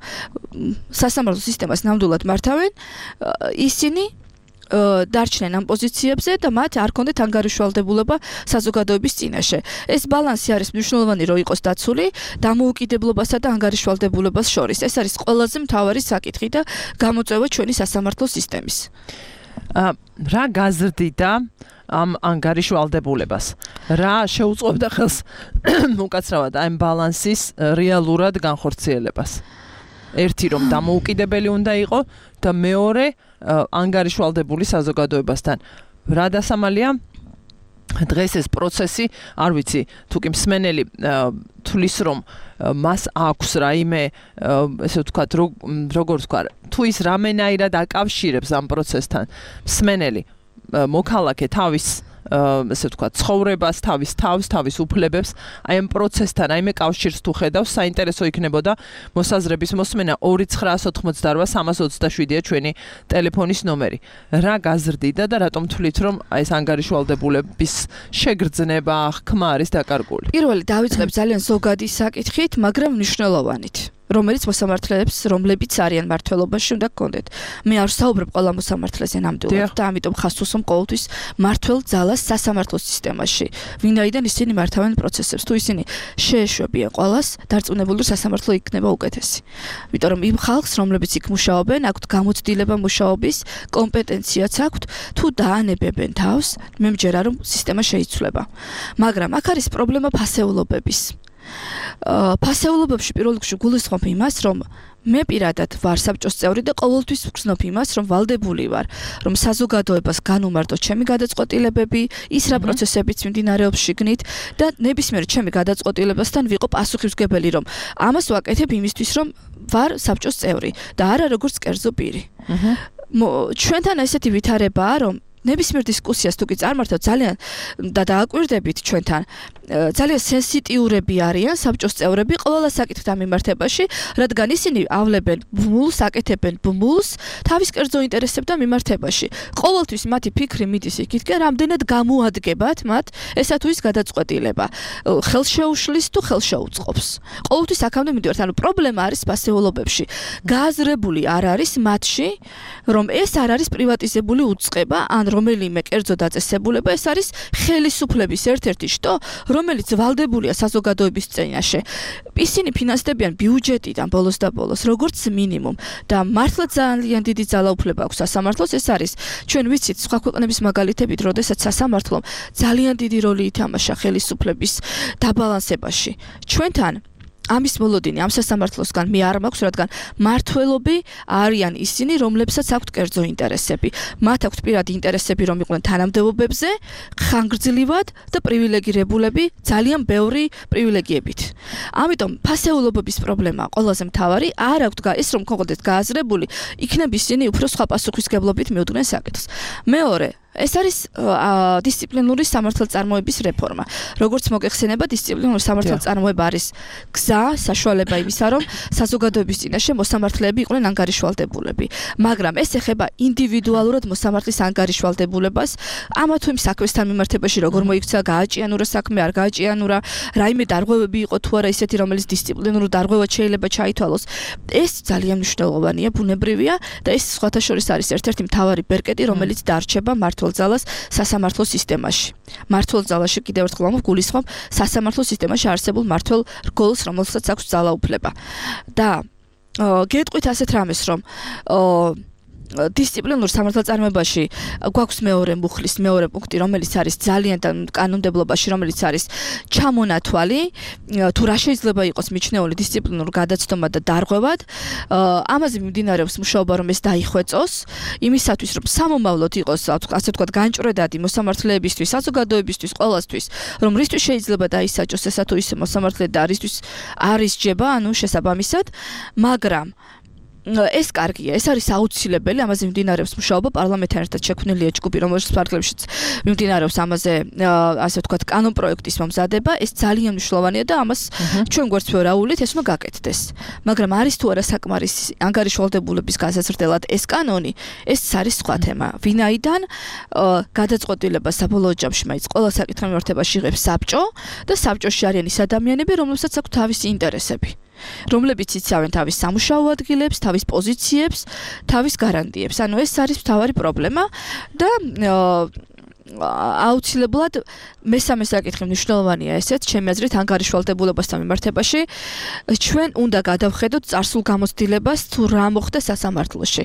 სასამართლო სისტემას ნამდვილად მართავენ, ისინი დარჩნენ ამ პოზიციებზე და მათ არ ჰქონდეთ ანგარიშვალდებულება საზოგადოების წინაშე. ეს ბალანსი არის მნიშვნელოვანი, რომ იყოს დაცული დამოუკიდებლობასა და ანგარიშვალდებულებას შორის. ეს არის ყველაზე მთავარი საკითხი და გამოწვევა ჩვენი სასამართლო სისტემის. რა გაზრდიდა ამ ანგარიშვალდებულებას? რა შეუწყობდა ხელს უკაცრავად ამ ბალანსის რეალურად განხორციელებას? ერთი რომ დამოუკიდებელი უნდა იყო და მეორე ანგარიშვალდებული საზოგადოებასთან. რა დასამალია? დღეს ეს პროცესი, არ ვიცი, თუ კი მსმენელი თulis რომ მას აქვს რაიმე, ესე ვთქვათ, როგორ ვთქვათ, თუ ის რამენაირად აკავშირებს ამ პროცესთან მსმენელი მოქალაქე თავის ესე ვთქვათ, ცხოვრებას, თავის თავს, თავის უფლებებს, აი ამ პროცესთან, აი მე კავშირს თუ ხედავს, საინტერესო იქნებოდა მოსაზრების მოსმენა ორი ცხრაას ოცდაოთხმოცდაორბა სამას ოცდაშვიდია ჩვენი ტელეფონის ნომერი. რა გაზრდიდა და რატომ თვლით, რომ აი ეს ანგარიშვალდებულების შეგრძნება, ხმა არის დაკარგული? პირველი დავიწყებ ძალიან ზოგადი საკითხით, მაგრამ მნიშვნელოვანით. რომელიც მოსამართლეებს, რომლებიც არიან მმართველობაში, უნდა გქონდეთ. მე არ ვსაუბრებ ყველა მოსამართლეზე ნამდვილად და ამიტომ ხას უსვამ ყოველთვის მმართველ ძალას სასამართლო სისტემაში. ვინაიდან ისინი მართავენ პროცესებს, თუ ისინი შეეშვებიან ყველას, დარწმუნებული სასამართლო იქნება უკეთესი. იმიტომ რომ იმ ხალხს, რომლებიც იქ მუშაობენ, აქვთ გამოცდილება მუშაობის, კომპეტენციაც აქვთ, თუ დაანებებენ თავს, მე მჯერა რომ სისტემა შეიცვლება. მაგრამ აქ არის პრობლემა ფასეულობების. ფასეულობებში პირველ რიგში გულისხმობ იმას, რომ მე პირადად ვარ საბჭოს წევრი და ყოველთვის ვგრძნობ იმას, რომ ვალდებული ვარ, რომ საზოგადოებას განუმარტო ჩემი გადაწყვეტილებები, ის რა პროცესებიც მიმდინარეობს შიგნით და ნებისმიერ ჩემი გადაწყვეტილებასთან ვიყო პასუხისმგებელი, რომ ამას ვაკეთებ იმისთვის, რომ ვარ საბჭოს წევრი და არა როგორც კერძო პირი. ჩვენთან ესეთი ვითარებაა, რომ ნებისმიერ დისკუსიას თუ კი წარმართავთ ძალიან და დააკვირდებით ჩვენთან ძალიან სენსიტიურები არიან საბჭოს წევრები ყველა საკითხთან მიმართებაში, რადგან ისინი ავლებენ ბმულს, აკეთებენ ბმულს თავის კერძო ინტერესებთან მიმართებაში. ყოველთვის მათი ფიქრი მიდის იქითკენ, რამდენად გამოადგებათ მათ ესა თუ ის გადაწყვეტილება. ხელშეუშლის თუ ხელშეუწყობს. ყოველთვის აქამდე მივიდივართ, ანუ პრობლემა არის ფასეულობებში. გააზრებული არ არის მათში, რომ ეს არ არის პრივატიზებული უწყება, ან რომელიმე კერძო დაწესებულება, ეს არის ხელისუფლების ერთ-ერთი შტო, რომელიც ვალდებულია საზოგადოების წინაშე. ისინი ფინანსდებიან ბიუჯეტიდან ბოლოს და ბოლოს, როგორც მინიმუმ და მართლა ძალიან დიდი ძალაუფლება აქვს სასამართლოს, ეს არის ჩვენ ვიცით სხვა ქვეყნების მაგალითებით, როდესაც სასამართლომ ძალიან დიდი როლი ითამაშა ხელისუფლების დაბალანსებაში. ჩვენთან ამის მოლოდინი ამ სასამართლოსგან მე არ მაქვს, რადგან მართველობი არიან ისინი, რომლებსაც აქვთ კერძო ინტერესები. მათ აქვთ პირადი ინტერესები, რომ იყვნენ თანამდებობებზე, ხანგრძლივად და პრივილეგირებულები, ძალიან ბევრი პრივილეგიებით. ამიტომ ფასეულობების პრობლემა ყველაზე მთავარი არ აქვთ ეს რომ გქონდეთ გააზრებული, იქნებ ისინი უფრო სხვა პასუხისგებლობით მიუდგნენ საკითხს. მეორე ეს არის დისციპლინური სამართალწარმოების რეფორმა. როგორც მოგეხსენება, დისციპლინური სამართალწარმოება არის გზა, საშუალება იმისა, რომ საზოგადოების წინაშე მოსამართლეები იყვნენ ანგარიშვალდებულები. მაგრამ ეს ეხება ინდივიდუალურად მოსამართლის ანგარიშვალდებულებას, ამა თუ იმ საქმესთან მიმართებაში, როგორ მოიქცა, გააჭიანურა საქმე, არ გააჭიანურა, რაიმე დარღვევები იყო თუ არა ისეთი, რომელიც დისციპლინურ დარღვევად შეიძლება ჩაითვალოს. ეს ძალიან მნიშვნელოვანია, ბუნებრივია და ეს სხვათა შორის არის ერთ-ერთი მთავარი ბერკეტი, რომელიც დარჩება მართლ მართლძალას სასამართლო სისტემაში. მართლ ძალაში კიდევ ერთხელ ამბობ, გულისხმობ სასამართლო სისტემაში არსებულ მართლ რგოლს, რომელსაც აქვს ძალაუფლება. და გეტყვით ასეთ რამეს, რომ დისციპლინურ სამართალწარმოებაში გვაქვს მეორე მუხლის მეორე პუნქტი, რომელიც არის ძალიან კანონმდებლობაში, რომელიც არის ჩამონათვალი, თუ რა შეიძლება იყოს მიჩნეული დისციპლინურ გადაცდომა და დარღვევად. ამაზე მიმდინარეობს მუშაობა, რომ ეს დაიხვეწოს, იმისათვის, რომ სამომავლოდ იყოს, ასე ვთქვათ, განჭვრედადი მოსამართლეებისთვის, საზოგადოებისთვის, ყველასთვის, რომ რისთვის შეიძლება დაისაჯოს ესა თუ ისე მოსამართლე და რისთვის არ ისჯება, ანუ შესაბამისად, მაგრამ ეს კარგია, ეს არის აუცილებელი, ამაზე მიმდინარეობს მუშაობა, პარლამენტთან ერთად შექმნილია ჯგუფი, რომელშიც ფარგლებშიც მიმდინარეობს ამაზე, ასე ვთქვათ, კანონპროექტის მომზადება, ეს ძალიან მნიშვნელოვანია და ამას ჩვენ გვერდს ვერაულით, ეს უნდა გაკეთდეს. მაგრამ არის თუ არა საკმარისი ანგარიშვალდებულების გასაზრდელად ეს კანონი, ეს არის სხვა თემა. ვინაიდან გადაწყვეტილება საბოლოო ჯამში მაინც ყველა საკითხთან მიმართებაში იღებს საბჭო და საბჭოში არიან ის ადამიანები, რომლებსაც აქვს თავისი ინტერესები. რომლებიც იცავენ თავის სამუშაო ადგილებს, თავის პოზიციებს, თავის გარანტიებს. ანუ ეს არის მთავარი პრობლემა და აუცილებლად მესამე საკითხი მნიშვნელოვანია ესეც, ჩემი აზრით, ანგარიშვალდებულებასთან მიმართებაში. ჩვენ უნდა გადავხედოთ წარსულ გამოცდილებას, თუ რა მოხდა სასამართლოში.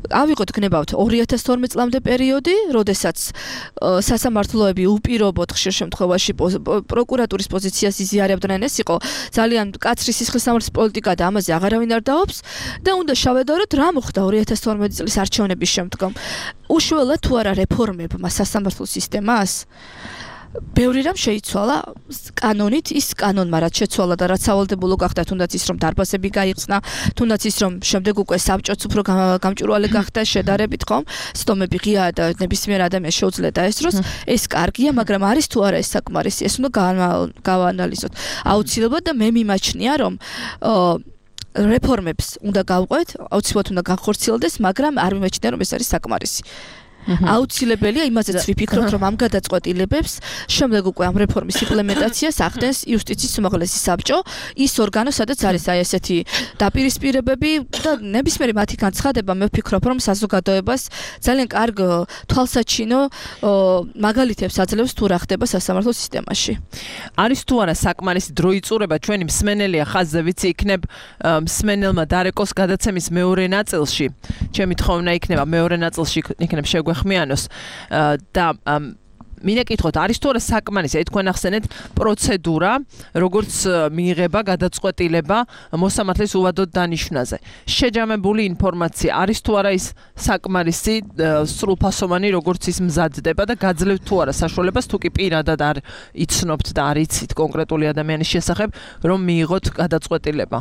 ავიღოთ გნებავთ ორი ათას თორმეტ წლამდე პერიოდი, როდესაც სასამართლოები უპირობოდ ხშირ შემთხვევაში პროკურატურის პოზიციას იზიარებდნენ, ეს იყო ძალიან მკაცრი სისხლისამართლის პოლიტიკა და ამაზე აღარავინ არ დაობს და უნდა შევედაროთ რა მოხდა ორი ათას თორმეტი წლის არჩევნების შემდგომ. უშუალოდ თუ არა რეფორმებმა სასამართლო სისტემას ბევრი რამ შეიცვალა კანონით, ის კანონმა რაც შეცვალა და რაც სავალდებულო გახდა, თუნდაც ის რომ დარბაზები გაიხსნა, თუნდაც ის რომ შემდეგ უკვე საბჭოც უფრო გამჭვირვალე გახდა შედარებით, ხომ? სტომები ღია და ნებისმიერ ადამიანს შეუძლია დაესწროს, ეს კარგია, მაგრამ არის თუ არა ეს საკმარისი, ეს უნდა გავაანალიზოთ. აუცილებლად და მე მიმაჩნია, რომ რეფორმებს უნდა გავყვეთ, აუცილებლად უნდა განხორციელდეს, მაგრამ არ მიმაჩნია, რომ ეს არის საკმარისი. აუცილებელია, იმაზეც ვიფიქრობთ, რომ ამ გადაწყვეტილებებს შემდეგ უკვე ამ რეფორმის იმპლემენტაციას ახდენს იუსტიციის უმაღლესი საბჭო, ის ორგანო, სადაც არის აი ესეთი დაპირისპირებები და ნებისმიერი მათი განცხადება, მე ვფიქრობ, რომ საზოგადოებას ძალიან კარგ თვალსაჩინო მაგალითებს აძლევს თუ რა ხდება სასამართლო სისტემაში. არის თუ არა საკმარისი დროიწურება, ჩვენი მსმენელია ხაზზე, ვიცი, იქნებ მსმენელმა დარეკოს გადაცემის მეორე ნაწილში. ჩემი თხოვნა იქნება მეორე ნაწილში იქნებ შეგვე ხმიანოს და მინდა კითხოთ, არის თუ არა საკმარისი, აი თქვენ ახსენეთ პროცედურა, როგორც მიიღება გადაწყვეტილება მოსამართლის უვადოდ დანიშვნაზე. შეჯამებული ინფორმაცია არის თუ არა ის საკმარისი სრულფასოვანი, როგორც ის მზადდება და გაძლევთ თუ არა საშუალებას, თუ კი პირადად არ იცნობთ და არ იცით კონკრეტული ადამიანის შესახებ, რომ მიიღოთ გადაწყვეტილება.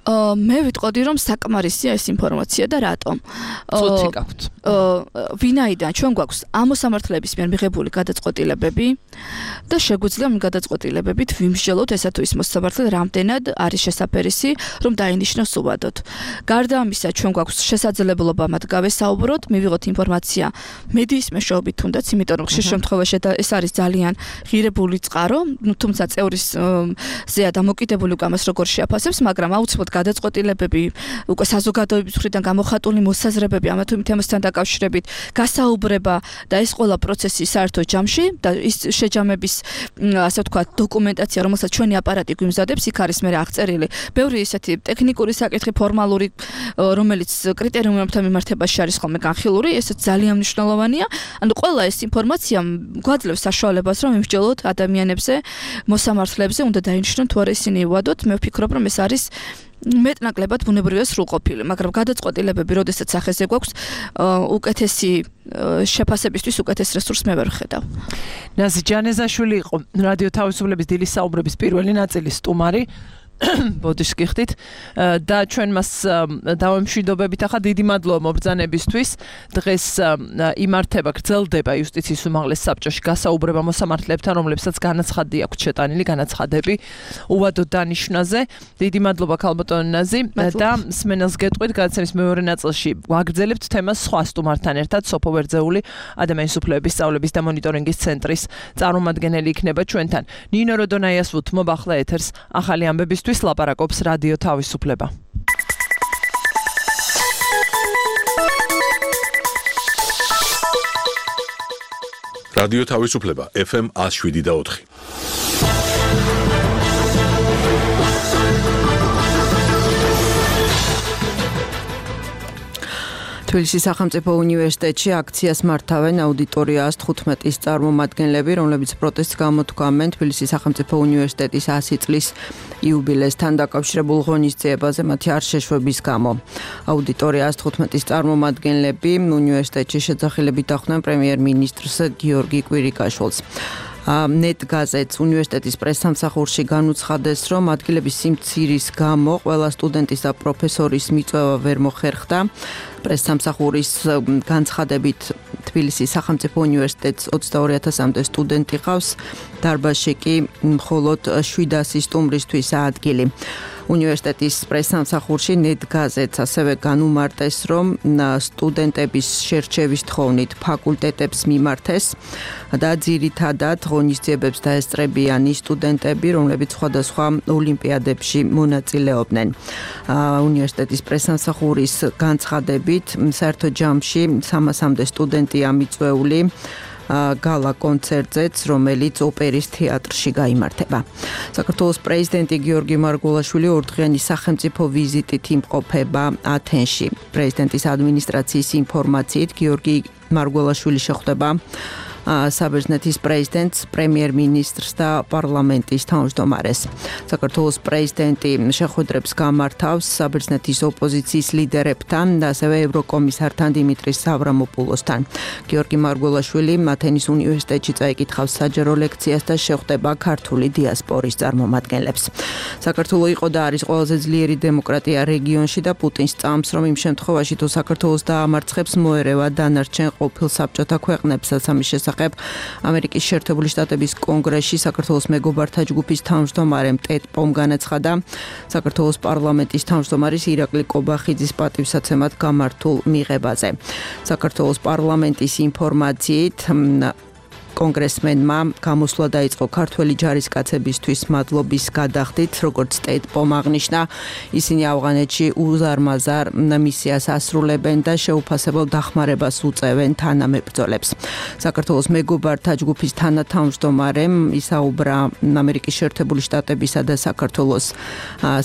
მე ვიტყოდი რომ საკმარისია ეს ინფორმაცია და რატომ? წუთი გაქვთ. ვინაიდან ჩვენ გვაქვს ამ მოსამართლეების მიერ მიღებული გადაწყვეტილებები და შეგვიძლია ამ გადაწყვეტილებებით ვიმსჯელოთ ესა თუ ის მოსამართლე რამდენად არის შესაფერისი რომ დაინიშნოს უვადოდ. გარდა ამისა ჩვენ გვაქვს შესაძლებლობა მათ გავესაუბროთ, მივიღოთ ინფორმაცია მედიის მეშვეობით თუნდაც, იმიტომ რომ ხშირ შემთხვევაში ეს არის ძალიან ღირებული წყარო, თუმცა წევრის ზეა დამოკიდებული უკვე ამას როგორ შეაფასებს, მაგრამ აუცილებლად გადაწყვეტილებები უკვე საზოგადოების მხრიდან გამოხატული მოსაზრებები ამა თუ იმ თემასთან დაკავშირებით გასაუბრება და ეს ყველა პროცესი საერთო ჯამში და ის შეჯამების ასე ვთქვათ დოკუმენტაცია რომელსაც ჩვენი აპარატი გვიმზადებს იქ არის მე აღწერილი ბევრი ესეთი ტექნიკური საკითხი ფორმალური რომელიც კრიტერიუმებთან მიმართებაში არის ხოლმე განხილული ესეც ძალიან მნიშვნელოვანია ანუ ყველა ეს ინფორმაცია გვაძლევს საშუალებას რომ ვიმსჯელოთ ადამიანებზე მოსამართლეებზე უნდა დაინიშნონ თუ არა ისინი უვადოთ მე ვფიქრობ რომ ეს არის მეტნაკლებად ბუნებრივია სრულყოფილი, მაგრამ გადაწყვეტილებები, როდესაც სახეზე გვაქვს, უკეთესი შეფასებისთვის უკეთეს რესურსს მე ვერ ვხედავ. ნაზი ჯანეზაშვილი იყო რადიო თავისუფლების დილის საუბრების პირველი ნაწილის სტუმარი. ბოდიშ გიხდით და ჩვენ მას დავემშვიდობებით ახლა დიდი მადლობა მობრძანებისთვის დღეს იმართება გრძელდება იუსტიციის უმაღლეს საბჭოში გასაუბრება მოსამართლეებთან რომლებსაც განაცხადი აქვთ შეტანილი განაცხადები უვადოდ დანიშვნაზე დიდი მადლობა ქალბატონ ნაზი და სმენელს გეტყვით გადაცემის მეორე ნაწილში ვაგრძელებთ თემას სხვა სტუმართან ერთად სოფო ვერძეული ადამიანის უფლებების სწავლების და მონიტორინგის ცენტრის წარმომადგენელი იქნება ჩვენთან ნინო როდონაიას ვუთმობ ახლა ეთერს ახალი ამბების თვის ლაპარაკობს რადიო თავისუფლება. რადიო თავისუფლება ეფ ემ one oh seven და ოთხი. თბილისის სახელმწიფო უნივერსიტეტში აქციას მართავენ აუდიტორიას თხუთმეტის წარმომადგენლები, რომლებიც პროტესტს გამოთქვამენ თბილისის სახელმწიფო უნივერსიტეტის one hundred წლის იუბილეასთან დაკავშირებულ ღონისძიებაზე მათი არ შეშვების გამო. აუდიტორიას თხუთმეტის წარმომადგენლები უნივერსიტეტში შეძახილებით დახვდნენ პრემიერ-მინისტრს გიორგი კვირიკაშვილს. ნეტ გაზეთს უნივერსიტეტის პრესსამსახურში განუცხადეს, რომ ადგილების სიმცირის გამო ყველა სტუდენტის და პროფესორის მიწვევა ვერ მოხერხდა. პრესსამსახურის განცხადებით თბილისის სახელმწიფო უნივერსიტეტს ოცდაორი ათასამდე სტუდენტი ყავს, დარბაზში კი მხოლოდ შვიდასი სტუმრისთვის ადგილი. უნივერსიტეტის პრესსამსახურში ნეტ გაზეთს ასევე განუმარტეს, რომ სტუდენტების შერჩევის თხოვნით ფაკულტეტებს მიმართეს და ძირითადად ღონისძიებებს დაესწრებიან ის სტუდენტები, რომლებიც სხვადასხვა ოლიმპიადებში მონაწილეობდნენ. უნივერსიტეტის პრესსამსახურის განცხადებით საერთო ჯამში სამასამდე სტუდენტია მიწვეული გალა კონცერტზეც, რომელიც ოპერის თეატრში გაიმართება. საქართველოს პრეზიდენტი გიორგი მარგველაშვილი ორდღიანი სახელმწიფო ვიზიტით იმყოფება ათენში. პრეზიდენტის ადმინისტრაციის ინფორმაციით გიორგი მარგველაშვილი შეხვდება საბერძნეთის პრეზიდენტს, პრემიერ-მინისტრს და პარლამენტის თავმჯდომარეს. საქართველოს პრეზიდენტი შეხვედრებს გამართავს საბერძნეთის ოპოზიციის ლიდერებთან და ასევე ევროკომისართან დიმიტრის სავრამოპულოსთან. გიორგი მარგველაშვილი ათენის უნივერსიტეტში წაიკითხავს საჯარო ლექციას და შეხვდება ქართული დიასპორის წარმომადგენლებს. საქართველო იყო და არის ყველაზე ძლიერი დემოკრატია რეგიონში და პუტინს წამს, რომ იმ შემთხვევაში თუ საქართველოს დაამარცხებს, მოერევა დანარჩენ ყოფილ საბჭოთა ქვეყნებსაც ამის შესახებ ამერიკის შეერთებული შტატების კონგრესში საქართველოს მეგობართა ჯგუფის თავმჯდომარემ ტედ პომ განაცხადა საქართველოს პარლამენტის თავმჯდომარის ირაკლი კობახიძის პატივსაცემად გამართულ მიღებაზე. საქართველოს პარლამენტის ინფორმაციით კონგრესმენმა გამოსვლა დაიწყო ქართველი ჯარისკაცებისთვის მადლობის გადახდით, როგორც ტედ პომ აღნიშნა, ისინი ავღანეთში უზარმაზარ მისიას ასრულებენ და შეუფასებელ დახმარებას უწევენ თანამებრძოლებს. საქართველოს მეგობართა ჯგუფის თანათავმჯდომარემ ისაუბრა ამერიკის შეერთებული შტატებისა და საქართველოს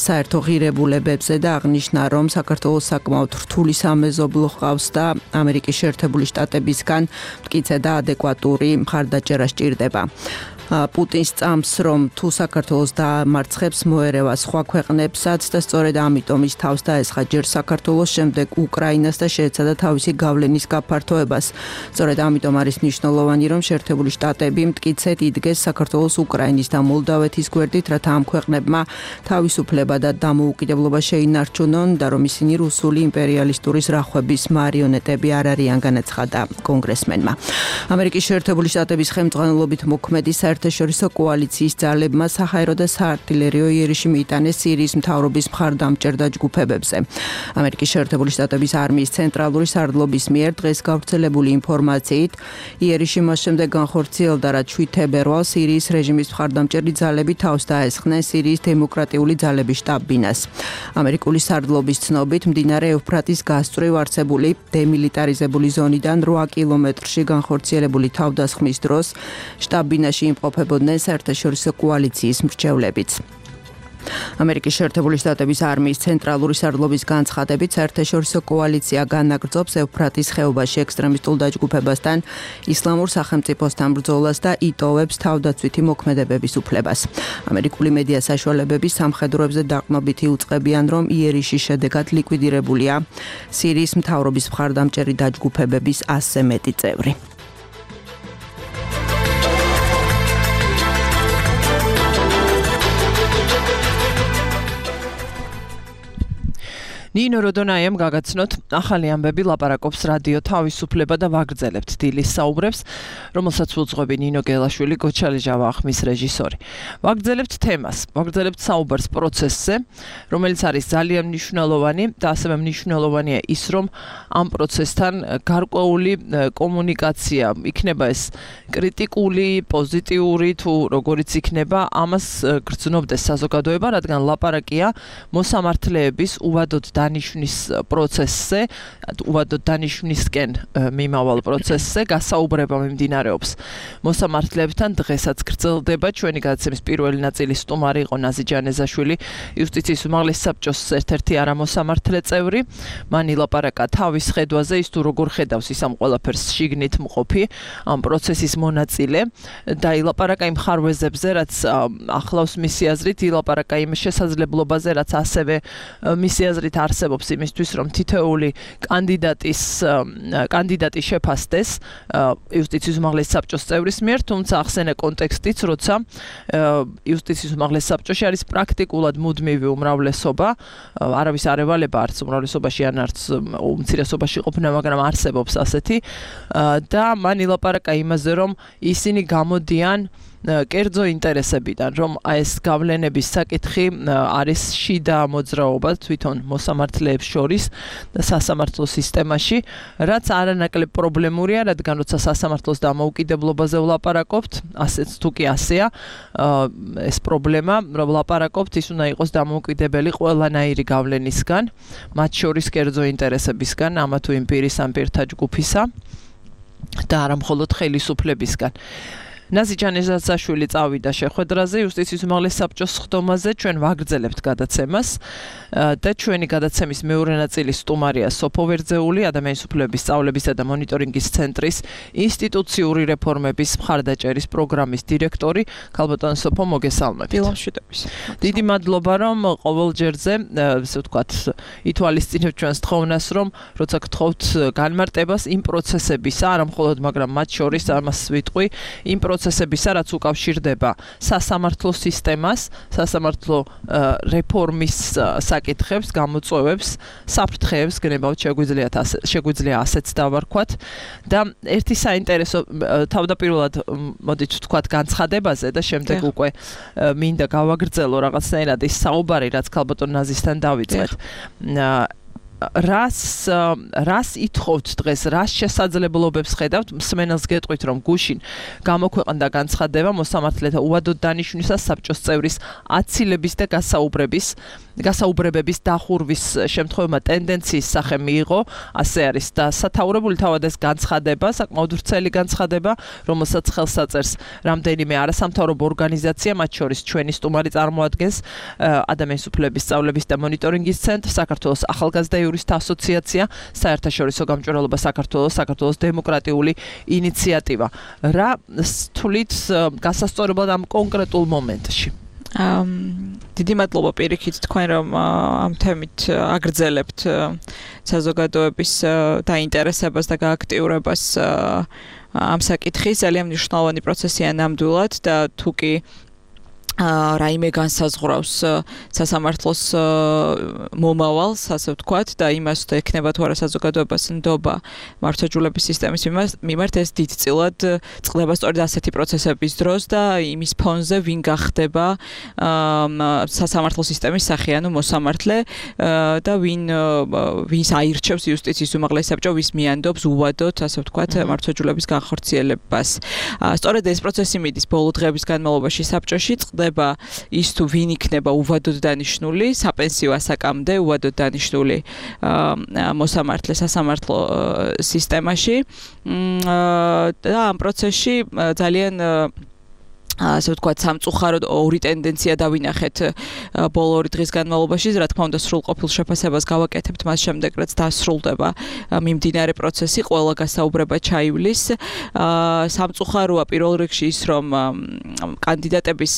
საერთო ღირებულებებზე და აღნიშნა, რომ საქართველოს საკმაოდ რთული სამეზობლო ჰყავს და ამერიკის შეერთებული შტატებისგან მტკიცე და ადეკვატური მხარდაჭერა სჭირდება. პუტინს წამს, რომ თუ საქართველოს დაამარცხებს, მოერევა სხვა ქვეყნებსაც და სწორედ ამიტომ ის თავს დაესხა ჯერ საქართველოს, შემდეგ უკრაინას და შეეცადა თავისი გავლენის გაფართოებას. სწორედ ამიტომ არის მნიშვნელოვანი, რომ შეერთებული შტატები მტკიცედ იდგეს საქართველოს, უკრაინის და მოლდავეთის გვერდით, რათა ამ ქვეყნებმა თავისუფლება და დამოუკიდებლობა შეინარჩუნონ და რომ ისინი რუსული იმპერიალისტური ზრახვების მარიონეტები არ არიან, განაცხადა კონგრესმენმა. ამერიკის შეერთებული შტატების ხელმძღვანელობით მოქმედი საერთაშორისო კოალიციის ძალებმა საჰაერო და საარტილერიო იერიში მიიტანეს სირიის მთავრობის მხარდამჭერ დაჯგუფებებზე. ამერიკის შეერთებული შტატების არმიის ცენტრალური სარდლობის მიერ დღეს გავრცელებული ინფორმაციით, იერიში მას შემდეგ განხორციელდა, რაც შვიდ თებერვალს სირიის რეჟიმის მხარდამჭერი ძალები თავს დაესხნენ სირიის დემოკრატიული ძალების შტაბ-ბინას. ამერიკული სარდლობის ცნობით, მდინარე ევფრატის გასწვრივ არსებული დემილიტარიზებული ზონიდან რვა კილომეტრში განხორციელებული თავდასხმის დროს შტაბ-ბინაში იმყოფებოდნენ საერთაშორისო კოალიციის მრჩევლებიც. ამერიკის შეერთებული შტატების არმიის ცენტრალური სარდლობის განცხადებით, საერთაშორისო კოალიცია განაგრძობს ევფრატის ხეობაში ექსტრემისტულ დაჯგუფებასთან, ისლამურ სახელმწიფოსთან ბრძოლას და იტოვებს თავდაცვითი მოქმედებების უფლებას. ამერიკული მედია საშუალებები სამხედროებზე დაყრდნობით იუწყებიან, რომ იერიშის შედეგად ლიკვიდირებულია სირიის მთავრობის მხარდამჭერი დაჯგუფებების ასზე მეტი წევრი. ნინო როდონაიამ გაგაცნოთ ახალი ამბები ლაპარაკობს რადიო თავისუფლება და ვაგრძელებთ დილის საუბრებს, რომელსაც უძღვები ნინო გელაშვილი, გოჩალეჟავა ახმის რეჟისორი. ვაგრძელებთ თემას, ვაგრძელებთ საუბარს პროცესზე, რომელიც არის ძალიან მნიშვნელოვანი და ასევე მნიშვნელოვანია ის, რომ ამ პროცესთან გარკვეული კომუნიკაცია იქნება ეს კრიტიკული, პოზიტიური თუ როგორიც იქნება, ამას გრძნობდეს საზოგადოება, რადგან ლაპარაკია მოსამართლეების უვადოდ დანიშვნის პროცესზე, უვადოდ დანიშვნისკენ მიმავალ პროცესზე გასაუბრება მიმდინარეობს მოსამართლეებთან. დღესაც გრძელდება ჩვენი გადაცემის პირველი ნაწილის სტუმარი იყო ნაზი ჯანეზაშვილი, იუსტიციის უმაღლეს საბჭოს ერთ-ერთი არამოსამართლე წევრი. მან ილაპარაკა თავის ხედვაზე, ის თუ როგორ ხედავს ის ამ ყველაფერს შიგნით მყოფი ამ პროცესის მონაწილე და ილაპარაკა იმ ხარვეზებზე, რაც ახლავს მისი აზრით, ილაპარაკა იმ შესაძლებლობაზე, რაც ასევე მისი აზრით არსებობს იმისთვის, რომ თითოეული კანდიდატის კანდიდატი შეფასდეს იუსტიციის უმაღლეს საბჭოს წევრის მიერ, თუმცა ახსენე კონტექსტიც, როცა იუსტიციის უმაღლეს საბჭოში არის პრაქტიკულად მუდმივი უმრავლესობა, არავის არ ევალება არც უმრავლესობაში ან არც უმცირესობაში ყოფნა, მაგრამ არსებობს ასეთი და მან ილაპარაკა იმაზე, რომ ისინი გამოდიან კერძო ინტერესებიდან, რომ ეს გავლენების საკითხი არის შიდა მოძრაობა თვითონ მოსამართლეებს შორის და სასამართლო სისტემაში, რაც არანაკლებ პრობლემურია, რადგან როცა სასამართლოს დამოუკიდებლობაზე ვლაპარაკობთ, ასეც თუ კი ასეა ეს პრობლემა, რომ ვლაპარაკობთ, ის უნდა იყოს დამოუკიდებელი ყველანაირი გავლენისგან, მათ შორის კერძო ინტერესებისგან, ამა თუ იმ პირის ან პირთა ჯგუფისა და არა მხოლოდ ხელისუფლებისგან. ნაზი ჯანეზაშვილი წავიდა შეხვედრაზე იუსტიციის უმაღლეს საბჭოს სხდომაზე, ჩვენ ვაგრძელებთ გადაცემას და ჩვენი გადაცემის მეორე ნაწილის სტუმარია სოფო ვერძეული, ადამიანის უფლებების სწავლებისა და მონიტორინგის ცენტრის ინსტიტუციური რეფორმების მხარდაჭერის პროგრამის დირექტორი. ქალბატონ სოფო, მოგესალმებით. დილამშვიდობის. დიდი მადლობა, რომ ყოველ ჯერზე, ესე ვთქვათ, ითვალისწინებთ ჩვენს თხოვნას, რომ როცა გთხოვთ განმარტებას იმ პროცესებისა, არა მხოლოდ, მაგრამ მათ შორის ამას ვიტყვი, იმ პროცესებისა, რაც უკავშირდება სასამართლო სისტემას, სასამართლო რეფორმის საკითხებს, გამოწვევებს, საფრთხეებს, გნებავთ შეგვიძლიათ შეგვიძლია ასეც დავარქვათ და ერთი საინტერესო თავდაპირველად მოდით ვთქვათ განცხადებაზე და შემდეგ უკვე მინდა გავაგრძელო რაღაცნაირად ის საუბარი, რაც ქალბატონ ნაზისთან დავიწყეთ. რას რას ითხოვთ დღეს, რას შესაძლებლობებს ხედავთ, მსმენელს გეტყვით, რომ გუშინ გამოქვეყნდა განცხადება მოსამართლეთა უვადოდ დანიშვნისა საბჭოს წევრის აცილების და გასაუბრების გასაუბრებების დახურვის შემთხვევებმა ტენდენციის სახე მიიღო, ასე არის და სათაურებული თავად ეს განცხადება, საკმაოდ ვრცელი განცხადება, რომელსაც ხელს აწერს რამდენიმე არასამთავრობო ორგანიზაცია, მათ შორის ჩვენი სტუმარი წარმოადგენს ადამიანის უფლებების სწავლების და მონიტორინგის ცენტრ, საქართველოს ახალგაზრდა იურისტთა ასოციაცია, საერთაშორისო გამჭვირვალობა საქართველოს, საქართველოს დემოკრატიული ინიციატივა. რა თulit გასასწორებლად ამ კონკრეტულ მომენტში? დიდი მადლობა პირიქით თქვენ რომ ამ თემით აგრძელებთ საზოგადოების დაინტერესებას და გააქტიურებას ამ საკითხის. ძალიან მნიშვნელოვანი პროცესია ნამდვილად და თუკი რაიმე განსაზღვრავს სასამართლოს მომავალს, ასე ვთქვათ, და იმას თუ ექნება თუ არა საზოგადოებას ნდობა მართლმსაჯულების სისტემის მიმართ, ეს დიდწილად წყდება სწორედ ასეთი პროცესების დროს და იმის ფონზე ვინ გახდება სასამართლო სისტემის სახეანო მოსამართლე და ვინ ვინს აირჩევს იუსტიციის უმაღლესი საბჭო, ვის მიანდობს უვადოდ, ასე ვთქვათ, მართლმსაჯულების განხორციელებას. სწორედ ეს პროცესი მიდის ბოლო დღეების განმავლობაში საბჭოში, ის თუ ვინ იქნება უვადოდ დანიშნული საპენსიო ასაკამდე უვადოდ დანიშნული მოსამართლე სასამართლო სისტემაში და ამ პროცესში ძალიან ასე ვთქვათ, სამწუხაროდ ორი ტენდენცია დავინახეთ ბოლო ორი დღის განმავლობაში, რა თქმა უნდა, სრულყოფილ შეფასებას გავაკეთებთ მას შემდეგ, რაც დასრულდება მიმდინარე პროცესი, ყველა გასაუბრება ჩაივლის. სამწუხაროა პირველ რიგში ის, რომ კანდიდატების